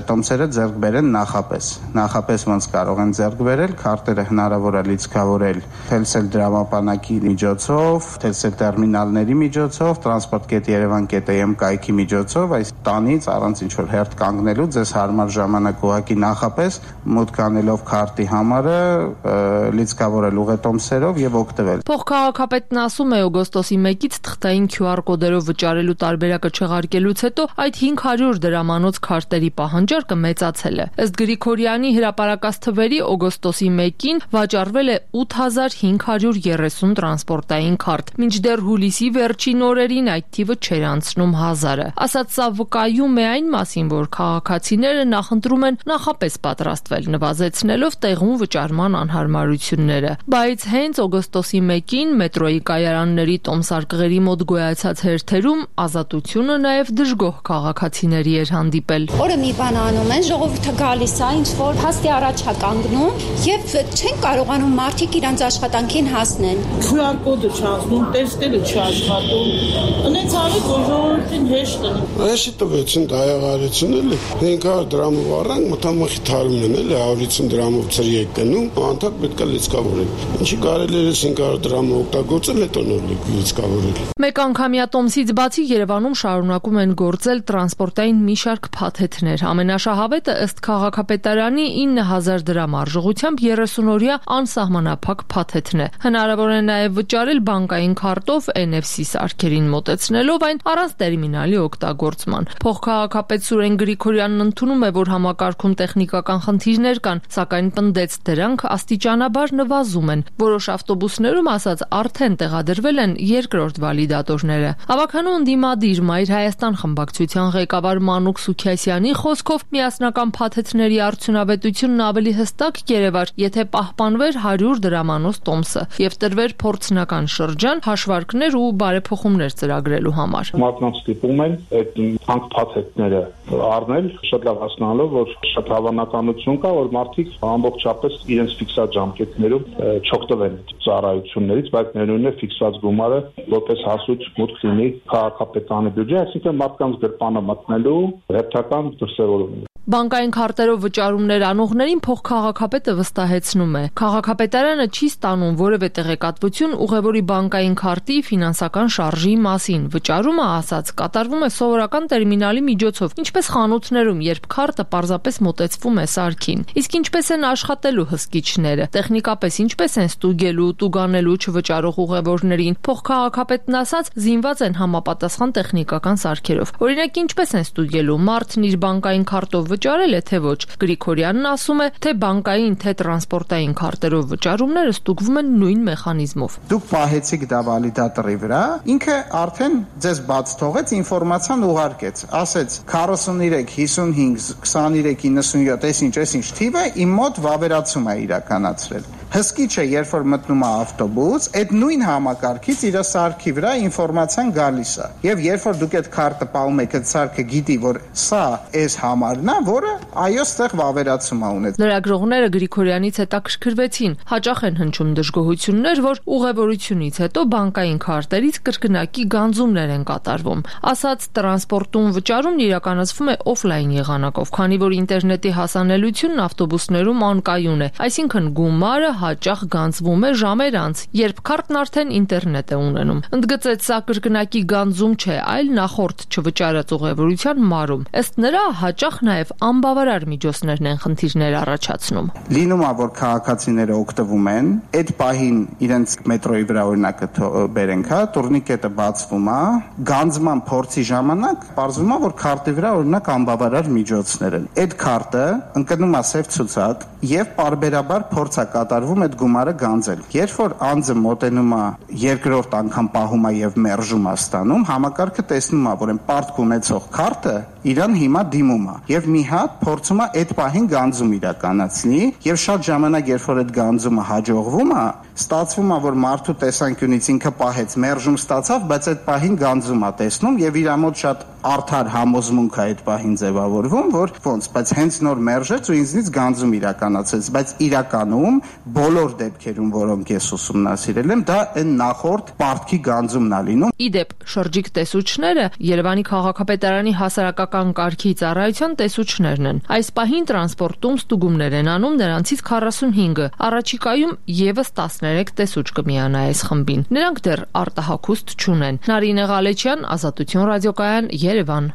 տոմսերը ձեռք բերեն նախապես ոնց կարող են ձեռք բերել, քարտերը հնարավոր է լիցքավորել թելսել դրամապանակի միջոցով, թելսել տերմինալների միջոցով, transport.yerevan.am կայքի միջոցով, այս տանից առանց ինչ որ հերթ կանգնելու ձեզ հարմար ժամանակ ուղղակի նախապես մուտք անելով քարտի համարը լիցքավորել ուղետոմսերով եւ օգտվել։ Փոխքաղաքապետն ասում է օգոստոսի 1-ից թղթային QR կոդերով վճարելու տարբերակը չեղարկելուց հետո այդ 500 դրամանոց քարտերի պահանջարկը մեծացել է։ Ըստ Գրիգորյանի հրապարակած թվերի օգոստոսի 1-ին վաճառվել է 8530 տրանսպորտային քարտ, մինչդեռ հուլիսի վերջին օրերին այդ թիվը չէր անցնում 1000-ը։ Ասած սա վկայում է այն մասին, որ քաղաքացիները նախընտրում են նախապես պատրաստվել, նվազեցնելով տեղում վճարման անհարմարությունները։ Բայց հենց օգոստոսի 1-ին մետրոյի կայարանների տոմսարկղերի մոտ գոյացած հերթերում ազատությունը նաև դժգոհ քաղաքացիների էր հանդիպել։ Օրը մի բան անում են, ժողովուրդը գալիս է, ինչ որ փաստի առաջ է կանգնում եւ չեն կարողանում մարդիկ իրանց աշխատանքին հասնեն։ QR կոդը չանցնում, տեստերը չաշխատում։ Ունեց արեք որ ժողովրդին հեշտ է։ Այսի տվեցին դայավարություն էլի 500 դրամով առանք մտամախի թարումն են էլի 150 դրամով ծրի է գնում, անդակ պետք է լիցքավորել։ Ինչի կարելի է 500 դրամը օգտագործել, հետո նոր լիցքավորել։ Մեկ անգամյա տոմսից բացի Երևանում շարունակում են գործել տրանսպորտային մի շարք փաթեթներ։ Ամենաշահավետը ըստ քաղաքապետարանի 9000 դրամ արժողությամբ 30-օրյա անսահմանափակ փաթեթն է։ Հնարավոր է նաև վճարել բանկային քարտով NFC սարքերին մոտեցնելով այն առանց տերմինալի օգտագործման։ Փոխքաղաքապետ Սուրեն Գրիգորյանն ընդունում է, որ համակարգում տեխնիկական խնդիրներ կան, սակայն պնդեց դրանք աստիճանաբար նվազում են։ Որոշ ավտոբուսներում ասած արդեն տեղադրվել են երկրորդ վալիդատորները։ Ավագանու ընդդիմադիր Մայր Հայաստան խմբակցության ղեկավար Մանուկ Սուքիասյանի խոսքով միասնական փաթեթների արդյունավետությունն ավելի հստակ կերևար, եթե պահպանվեր 100 դրամանոց տոմսը եւ տրվեր փորձնական շրջան հաշվարկներ ու բարեփոխումներ ծրագրելու համար։ Մարդկանց ստիպում են այդ հանք փաթեթները առնել, շատ լավ հասկանալով, որ շատ հավանականություն կա, որ մարդիկ ամբողջապես իրենց ֆիքսած ժամկետներում չօգտվեն ծառայություններից, բայց ներառյալ է ֆիքսած գումարը որպես հասույթ մուտք լինի քաղաքապետարանի բյուջե, այսինքն մարդկանց գրպանը մտնելու հերթական դրսևորում։ Բանկային քարտերով վճարումներ անողներին փոխքաղաքապետը վստահեցնում է։ Քաղաքապետարանը չի ստանում որևէ տեղեկատվություն ուղևորի բանկային քարտի ֆինանսական շարժի մասին։ Վճարումը ասած կատարվում է սովորական տերմինալի միջոցով, ինչպես խանութներում, երբ քարտը պարզապես մոտեցվում է սարքին։ Իսկ ինչպես են աշխատելու հսկիչները, տեխնիկապես ինչպես են ստուգելու, տուգանելու չվճարող ուղևորներին։ Փոխքաղաքապետն ասած զինված են համապատասխան տեխնիկական սարքերով։ Օրինակ ինչպես են ստուգելու, մարդն իր բանկային քարտով վճարել է, թե ոչ։ Գրիգորյանն ասում է, թե բանկային, թե տրանսպորտային քարտերով վճարումները ստուգվում են նույն մեխանիզմով։ Դուք պահեցիք դա վալիդատորի վրա, ինքը արդեն ձեզ բաց թողեց, ինֆորմացիան ուղարկեց, ասեց 43, 55, 23, 97, այսինչ թիվը իմ մոտ վավերացում է իրականացրել։ Հսկիչ է, երբ որ մտնում է ավտոբուս, այդ նույն համակարգից իր սարքի վրա ինֆորմացիան գալիս է։ Եվ երբ որ դուք այդ քարտը պահում եք, այդ սարքը գիտի, որ սա այս համարն է, որը այո, ստեղ վավերացում է ունեցել։ Լրագրողները Գրիգորյանից հետաքրքրվեցին, հաճախ են հնչում դժգոհություններ, որ ուղևորությունից հետո բանկային քարտերից կրկնակի գանձումներ են կատարվում։ Ասած տրանսպորտում վճարումն իրականացվում է օֆլայն եղանակով, քանի որ ինտերնետի հասանելիությունն ավտոբուսներում անկայուն է, այսինքն գումարը հաճախ գանձվում է ժամեր անց, երբ քարտն արդեն ինտերնետ է ունենում։ Ընդգծեց, սա կրկնակի գանձում չէ, այլ նախորդ չվճարած ուղևորության մարում։ Ըստ նրա, հաճախ նաև անբավարար միջոցներն են խնդիրներ առաջացնում։ Լինում է, որ քաղաքացիները օգտվում են, այդ պահին իրենց մետրոյի վրա օրինակը բերենք, տուրնիկետը բացվում է, գանձման փորձի ժամանակ պարզվում է, որ քարտի վրա օրինակ անբավարար միջոցներ են։ Այդ քարտը ընկնում է սև ցուցակ եւ պարբերաբար փորձ է կատարվում այդ գումարը գանձել։ Երբ որ անձը մոտենում է երկրորդ անգամ պահում է եւ մերժում է ստանում, համակարգը տեսնում է, որ այն պարտք ունեցող քարտը իրան հիմա դիմում է եւ մի հատ փորձում է այդ պահին գանձում իրականացնի եւ շատ ժամանակ երբ որ այդ գանձումը հաջողվում է, ստացվում է, որ մարդու տեսանկյունից ինքը պահեց, մերժում ստացավ, բայց այդ պահին գանձում է տեսնում եւ իր մոտ շատ արդար համոզմունք է այդ պահին ձևավորվում, որ ոնց, բայց հենց նոր մերժեց ու ինձնից գանձում իրականացեց, բայց իրականում բոլոր դեպքերում, որոնք ես ուսումնասիրել եմ, դա այն նախորդ պարտքի գանձումն է լինում։ Իդեպ, շրջիկ տեսուչները Երևանի քաղաքապետարանի հասարակական կարգի ծառայության տեսուչներն են։ Այս պահին տրանսպորտում ստուգումներ են անում նրանցից 45-ը։ Առաջիկայում եւս 13 տեսուչ կմիանա այս խմբին։ Նրանք դեռ արտահագուստ չունեն։ Նարինե Ղալեչյան, Ազատություն ռադիոկայան, Երևան։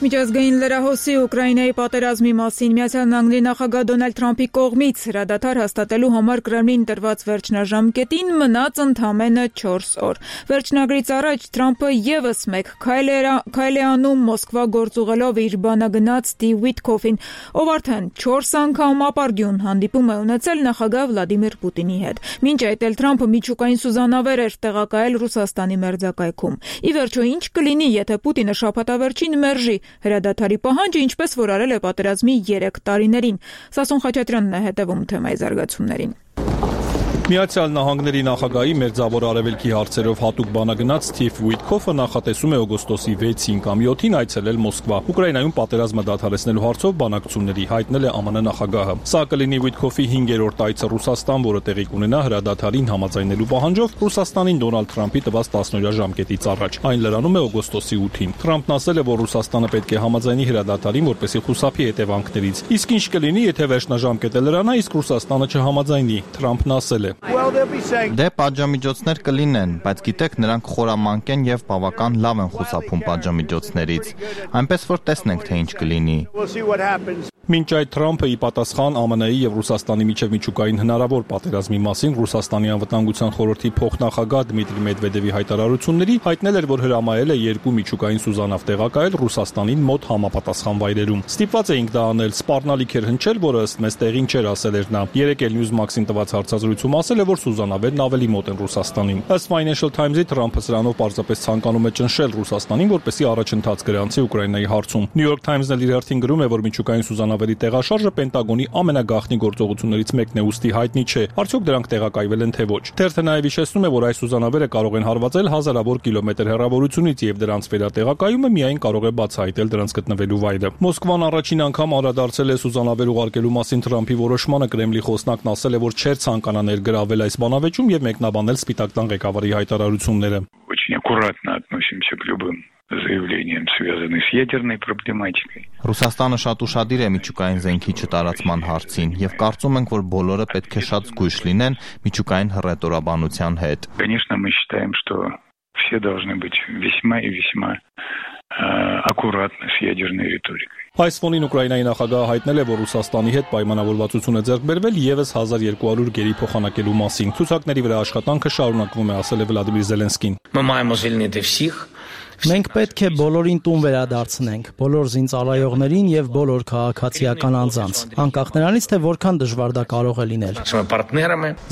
Միջազգային լրահոսի Ուկրաինայի պատերազմի մասին Միացյալ Նահանգների նախագահ Դոնալդ Թրամփի կողմից հրադադար հաստատելու համար Կրեմլին տրված վերջնաժամկետին մնաց ընդամենը 4 օր։ Վերջնագրից առաջ Թրամփը եւս մեկ քայլ է անում Մոսկվա գործուղելով իր բանագնաց Ստիվ Ուիտկոֆին, ով արդեն 4 անգամ ապարդյուն հանդիպում է ունեցել նախագահ Վլադիմիր Պուտինի հետ։ Մինչ այդ էլ Թրամփը միջուկային սուզանավեր էր տեղակայել Ռուսաստանի մերձակայքում։ Ի վերջո ինչ կլինի, եթե Պուտինը շաբաթավերջին մերժի հրադադարի պահանջը, ինչպես որ արել է պատերազմի 3 տարիներին։ Սասուն Խաչատրյանն է հետևում թեմայի զարգացումներին։ Միացյալ Նահանգների նախագահի մերձավոր արևելքի հարցերով հատուկ բանագնաց Ստիվ Ուիտկոֆը նախատեսում է օգոստոսի 6-ին կամ 7-ին այցելել Մոսկվա։ Ուկրաինայում պատերազմը դադարեցնելու հարցով բանակցությունների հայտնել է ԱՄՆ նախագահը։ Սա կլինի Ուիտկոֆի 5-րդ այցը Ռուսաստան, որը տեղի կունենա հրադադարին համաձայնելու պահանջով Ռուսաստանին Դոնալդ Թրամփի տված 10-օրյա ժամկետից առաջ։ Այն լրանում է օգոստոսի 8-ին։ Թրամփն ասել է, որ Ռուսաստանը պետք է համաձայնի հրադադարին, որպեսզի խուսափի հետևանքներից։ Իսկ ինչ կլինի, եթե վերջնաժամկետը լրանա, իսկ Ռուսաստանը չհամաձայնի։ Թրամփն ասել է. Դե պատժամիջոցներ կլինեն, բայց գիտեք, նրանք խորամանկ են եւ բավական լավ են խուսափում պատժամիջոցներից։ Այնպես որ տեսնենք, թե ինչ կլինի։ Մինչ այդ Թրամփը ի պատասխան ԱՄՆ-ի եւ Ռուսաստանի միջև միջուկային հնարավոր պատերազմի մասին Ռուսաստանի անվտանգության խորհրդի փոխնախագահ Դմիտրի Մեդվեդևի հայտարարությունների հայտնել էր, որ հրամայել է 2 միջուկային սուզանավ տեղակայել Ռուսաստանին մոտ համապատասխան վայրերում։ Ստիպված էինք դա անել, սպառնալիք էր հնչել, որը ըստ մեզ տեղին չէր, ասել էր նա։ Երեկ էլ Newsmax-ին տված հարցազրույցում ասել է, որ սուզանավերն ավելի մոտ են Ռուսաստանին։ Ըստ Financial Times-ի Թրամփը սրանով պարզապես ցանկանում է ճնշել Ռուսաստանին, որպեսզի առաջընթաց գրանցի Ուկրաինայի հարցում։ New York Times-ն իր հերթին գրում է, որ միջուկային սուզանավերի տեղաշարժը Պենտագոնի ամենագաղտնի գործողություններից մեկն է, ուստի հայտնի չէ, արդյոք դրանք տեղակայվել են թե ոչ։ Թերթը նաև հիշեցնում է, որ այս սուզանավերը կարող են հարվածել հազարավոր կիլոմետր հեռավորությունից եւ դրանց վերատեղակայումը միայն կարող է բացահայտել դրանց գտնվելու վայրը։ Մոսկվան առաջին անգամ անդրադարձել է սուզանավեր уղարկելու մասին Թրամփի որոշմանը։ Կրեմլի խոսնակն ասել է, որ չէր ցանկանա ներգրավել այս բանավեճում եւ մեկնաբանել Սպիտակ տան ղեկավարի հայտարարությունները։ Очень аккуратно относимся к любым заявлениям, связанным с ядерной проблематикой. Ռուսաստանը շատ ուշադիր է միջուկային զենքի չտարածման հարցին եւ կարծում ենք, որ բոլորը պետք է շատ զգույշ լինեն միջուկային հռետորաբանության հետ։ Конечно, мы считаем, что все должны быть весьма и весьма аккуратны. адекватно с ядерной риторикой. Այս ֆոնին Ուկրաինայի նախագահը հայտնել է, որ Ռուսաստանի հետ պայմանավորվածություն է ձեռք բերվել եւս 1200 գերի փոխանակելու մասին։ Ցուցակների վրա աշխատանքը շարունակվում է, ասել է Վլադիմիր Զելենսկին։ Մենք պետք է բոլորին տուն վերադարձնենք, բոլոր զինծառայողներին եւ բոլոր քաղաքացիական անձանց, անկախ նրանից, թե որքան դժվար դա կարող է լինել։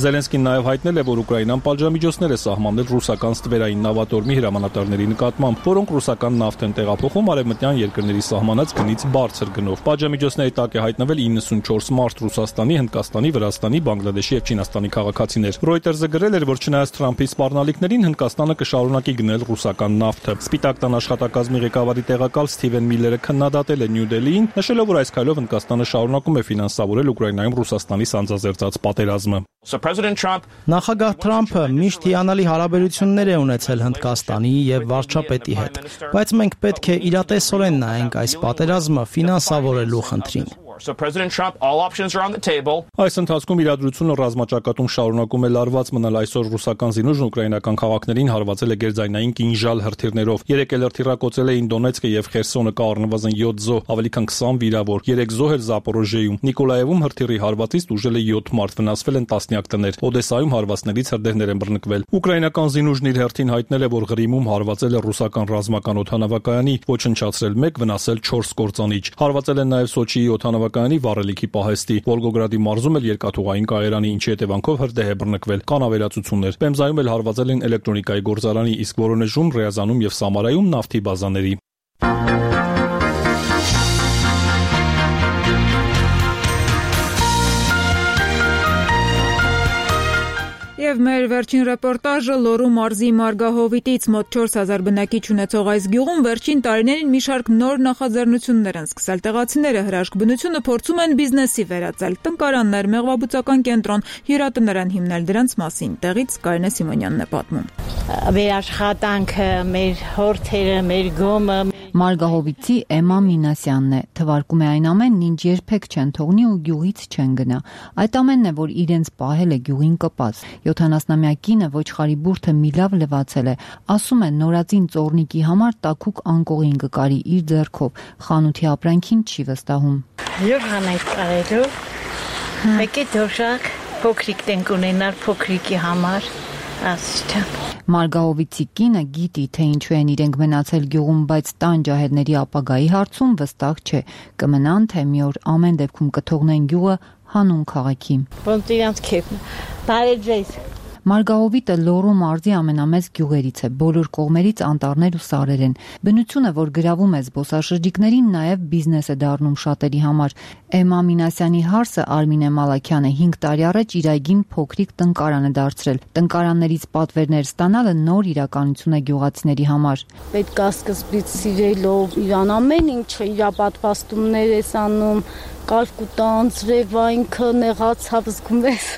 Զելենսկին նաեւ հայտնել է, որ Ուկրաինան պատժամիջոցներ է սահմանել ռուսական ստվերային նավատորմի հրամանատարների նկատմամբ, որոնք ռուսական նավթ են տեղափոխում արևմտյան երկրների սահմանած գնից բարձր գնով։ Պատժամիջոցների տակ է հայտնվել 94 մարդ Ռուսաստանի, Հնդկաստանի, Վրաստանի, Բանգլադեշի եւ Չինաստանի քաղաքացիներ։ Reuters-ը գրել էր, որ չնայած Թրամփի սպառնալիքներին Հնդկաստանը կշարունակի գնել ռուսական նավթը։ Սպիտակ տան աշխատակազմի ղեկավարի տեղակալ Սթիվեն Միլլերը քննադատել է Նյու Դելիին, նշելով, որ այս քայլով Հնդկաստանը շարունակում է ֆինանսավորել Ուկրաինայում Ռուսաստանի սանձազերծած պատերազմը։ Նախագահ Թրամփը միշտ հիանալի հարաբերություններ է ունեցել Հնդկաստանի եւ վարչապետի հետ, բայց մենք պետք է իրատեսորեն նայենք այս պատերազմը ֆինանսավորելու խնդրին։ Այս ընթացքում իրադրությունը ռազմաճակատում շարունակում է լարված մնալ։ Այսօր ռուսական զինուժն ուկրաինական քաղաքներին հարվածել է գերձայնային կինժալ հրթիռներով։ 3 էլ հրթիռակոծել էին Դոնեցկը եւ Խերսոնը, կա առնվազն 7 զոհ, ավելի քան 20 վիրավոր, 3 զոհ էլ Զապորոժիեում։ Նիկոլաևում հրթիռի հարվածից տուժել է 7 մարդ, վնասվել են տասնյակ տներ։ Օդեսայում հարվածներից հրդեհներ են բռնկվել։ Ուկրաինական զինուժն իր հերթին հայտնել է, որ Ղրիմում հարվածել է ռուսական ռազմական օդանավակայանի, ոչնչացրել 1, վնասել 4 կործանիչ։ Հարվածել են նաեւ Սոչիի օդանավակայանի վառելիքի պահեստի։ Վոլգոգրադի մարզում էլ երկաթուղային կայարանի, ինչի հետևանքով հրդեհ է բռնկվել։ Կան ավերածություններ։ Պեմզայում էլ հարվածել են էլեկտրոնիկայի գործարանի, իսկ Վորոնեժում, Ռեազանում եւ Սամարայում նավթի բազաների։ Եվ մեր վերջին ռեպորտաժը Լոռու մարզի Մարգահովիտից մոտ 4000 բնակիչ ունեցող այս գյուղում վերջին տարիներին մի շարք նոր նախաձեռնություններ են սկսել։ Տեղացիները հրաշք բնությունը փորձում են բիզնեսի վերածել։ Տնկարաններ, մեղվաբուծական կենտրոն, հյուրատներ հիմնել դրանց մասին։ Տեղից Կարինե Սիմոնյանն է պատմում։ Մեր աշխատանքը, մեր հորթերը, մեր գոմը Մարգահովիցի Էմա Մինասյանն է, թվարկում է այն ամենն, ինչ երբեք չեն թողնի ու գյուղից չեն գնա։ Այդ ամենն է, որ իրենց պահել է գյուղին կպած։ 70-ամյա կինը ոչխարի բուրդը մի լավ լվացել է, ասում է նորածին ծոռնիկի համար տաքուկ անկողին կկարի իր ձեռքով, խանութի ապրանքին չի վստահում։ Յուրան այդ կարելու, մեկի դոշակ փոքրիկ տենք ունենալ փոքրիկի համար, ասիչան։ Մարգահովիցի կինը գիտի, թե ինչու են իրենք մնացել գյուղում, բայց տան ջահելների ապագայի հարցում վստահ չէ։ Կմնան, թե մի օր ամեն դեպքում կթողնեն գյուղը հանուն քաղաքի։ Ոնց իրանց քեֆն։ Բարի ձեզ։ Մարգահովիտը Լոռու մարզի ամենամեծ գյուղերից է, բոլոր կողմերից անտառներ ու սարեր են։ Բնությունը, որ գրավում է զբոսաշրջիկներին, նաև բիզնես է դառնում շատերի համար։ Էմա Մինասյանի հարսը Արմինե Մալաքյանը 5 տարի առաջ իր այգին փոքրիկ տնկարան է դարձրել։ Տնկարաններից պատվերներ ստանալը նոր իրականություն է գյուղացիների համար։ Պետք է սկզբից սիրելով իրան ամեն ինչը իր պատվաստումներ ես անում, կարկուտան, ծրևայինքը, նեղացավ զգում ես։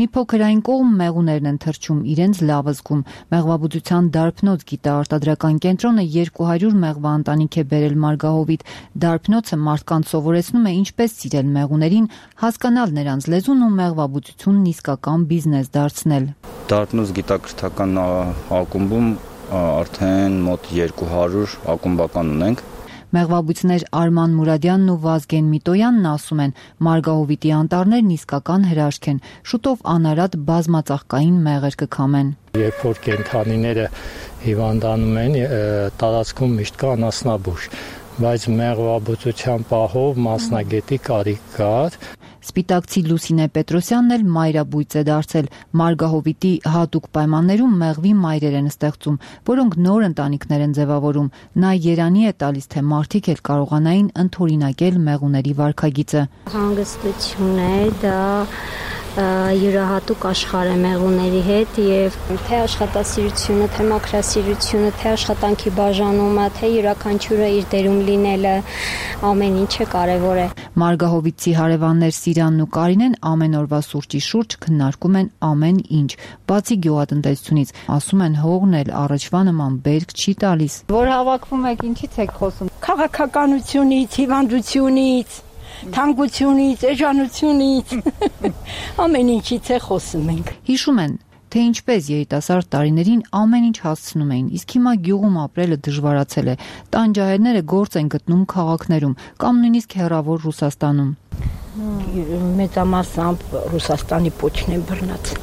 Մի փոքր այն կողմ մեղուներն են թռչում, իրենց լավ զգում։ Մեղվաբուծության դարբնոց գիտաարտադրական կենտրոնը 200 մեղվա ընտանիք է բերել Մարգահովիտ։ Դարբնոցը մարդկանց սովորեցնում է ինչպես սիրել մեղուներին, հասկանալ նրանց լեզուն ու մեղվաբուծությունն իսկական բիզնես դարձնել։ Դարբնոց գիտակրթական ակումբում արդեն մոտ 200 ակումբական ունենք։ Մեղվաբույծներ Արման Մուրադյանն ու Վազգեն Միտոյանն ասում են, Մարգահովիտի անտառներն իսկական հրաշք են, շուտով անարատ բազմածաղկային մեղր կքամեն։ Երբ որ կենդանիները հիվանդանում են, տարածքում միշտ կա անասնաբուժ, բայց մեղվաբուծության պահով մասնագետի կարիք կար։ Սպիտակցի Լուսինե Պետրոսյանն էլ մայրաբույծ է դարձել։ Մարգահովիտի հատուկ պայմաններում մեղվի մայրեր են ստեղծում, որոնք նոր ընտանիքներ են ձևավորում։ Նա երանի է տալիս, թե մարդիկ էլ կարողանային ընդօրինակել մեղուների վարքագիծը։ Հանգստություն է, դա յուրահատուկ աշխարհ է մեղուների հետ եւ թե աշխատասիրությունը, թե մաքրասիրությունը, թե աշխատանքի բաժանումը, թե յուրաքանչյուրը իր դերում լինելը, ամեն ինչը կարեւոր է։ Մարգահովիցի հարևաններ Սիրանն ու Կարինեն ամեն օրվա սուրճի շուրջ քննարկում են ամեն ինչ, բացի գյուղատնտեսությունից, ասում են հողն էլ առաջվա նման բերք չի տալիս։ Որ հավաքվում եք, ինչից եք խոսում։ Քաղաքականությունից, հիվանդությունից, թանկությունից, էժանությունից, ամեն ինչից է խոսում ենք։ Հիշում են, թե ինչպես երիտասարդ տարիներին ամեն ինչ հասցնում էին, իսկ հիմա գյուղում ապրելը դժվարացել է։ Տանջահերները գործ են գտնում քաղաքներում կամ նույնիսկ հեռավոր Ռուսաստանում։ Մեծամասամբ Ռուսաստանի փոչն է բռնած։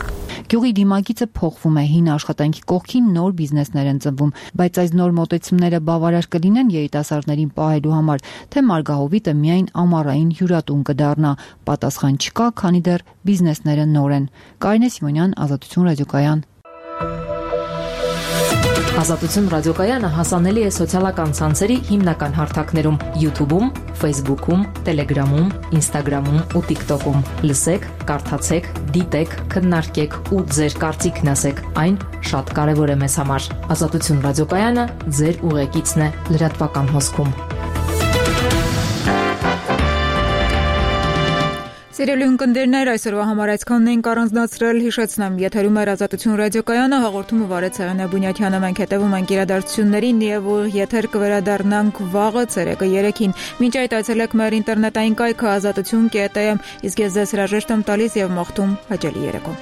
Գյուղի դիմագիծը փոխվում է, հին աշխատանքի կողքին նոր բիզնեսներ են ծնվում, բայց այս նոր մոտեցումները բավարար կլինեն երիտասարդներին պահելու համար, թե Մարգահովիտը միայն ամառային հյուրատուն կդառնա։ Պատասխան չկա, քանի դեռ բիզնեսները նոր են։ Կարինե Սիմոնյան, Ազատություն ռադիոկայան։ Ազատություն ռադիոկայանը հասանելի է սոցիալական ցանցերի հիմնական հարթակներում՝ YouTube-ում, Facebook-ում, Telegram-ում, Instagram-ում ու TikTok-ում։ Լսեք, կարդացեք, դիտեք, քննարկեք ու ձեր կարծիքն ասեք։ Այն շատ կարևոր է մեզ համար։ Ազատություն ռադիոկայանը ձեր ուղեկիցն է լրատվական հոսքում։ Սիրելի ունկնդիրներ, այսօրվա համար այսքանն ենք առանձնացրել, հիշեցնեմ, եթերում է Ազատություն ռադիոկայանը, հաղորդումը վարեց Սեղանե Բունյաթյանը, մենք հետևում ենք իրադարձություններին եւ եթեր կվերադառնանք վաղը ցերեկը 3-ին։ Մինչ այդ այցելեք մեր ինտերնետային կայքը azatutun.am, իսկ ես ձեզ հրաժեշտ եմ տալիս եւ մաղթում հաճելի երեկո։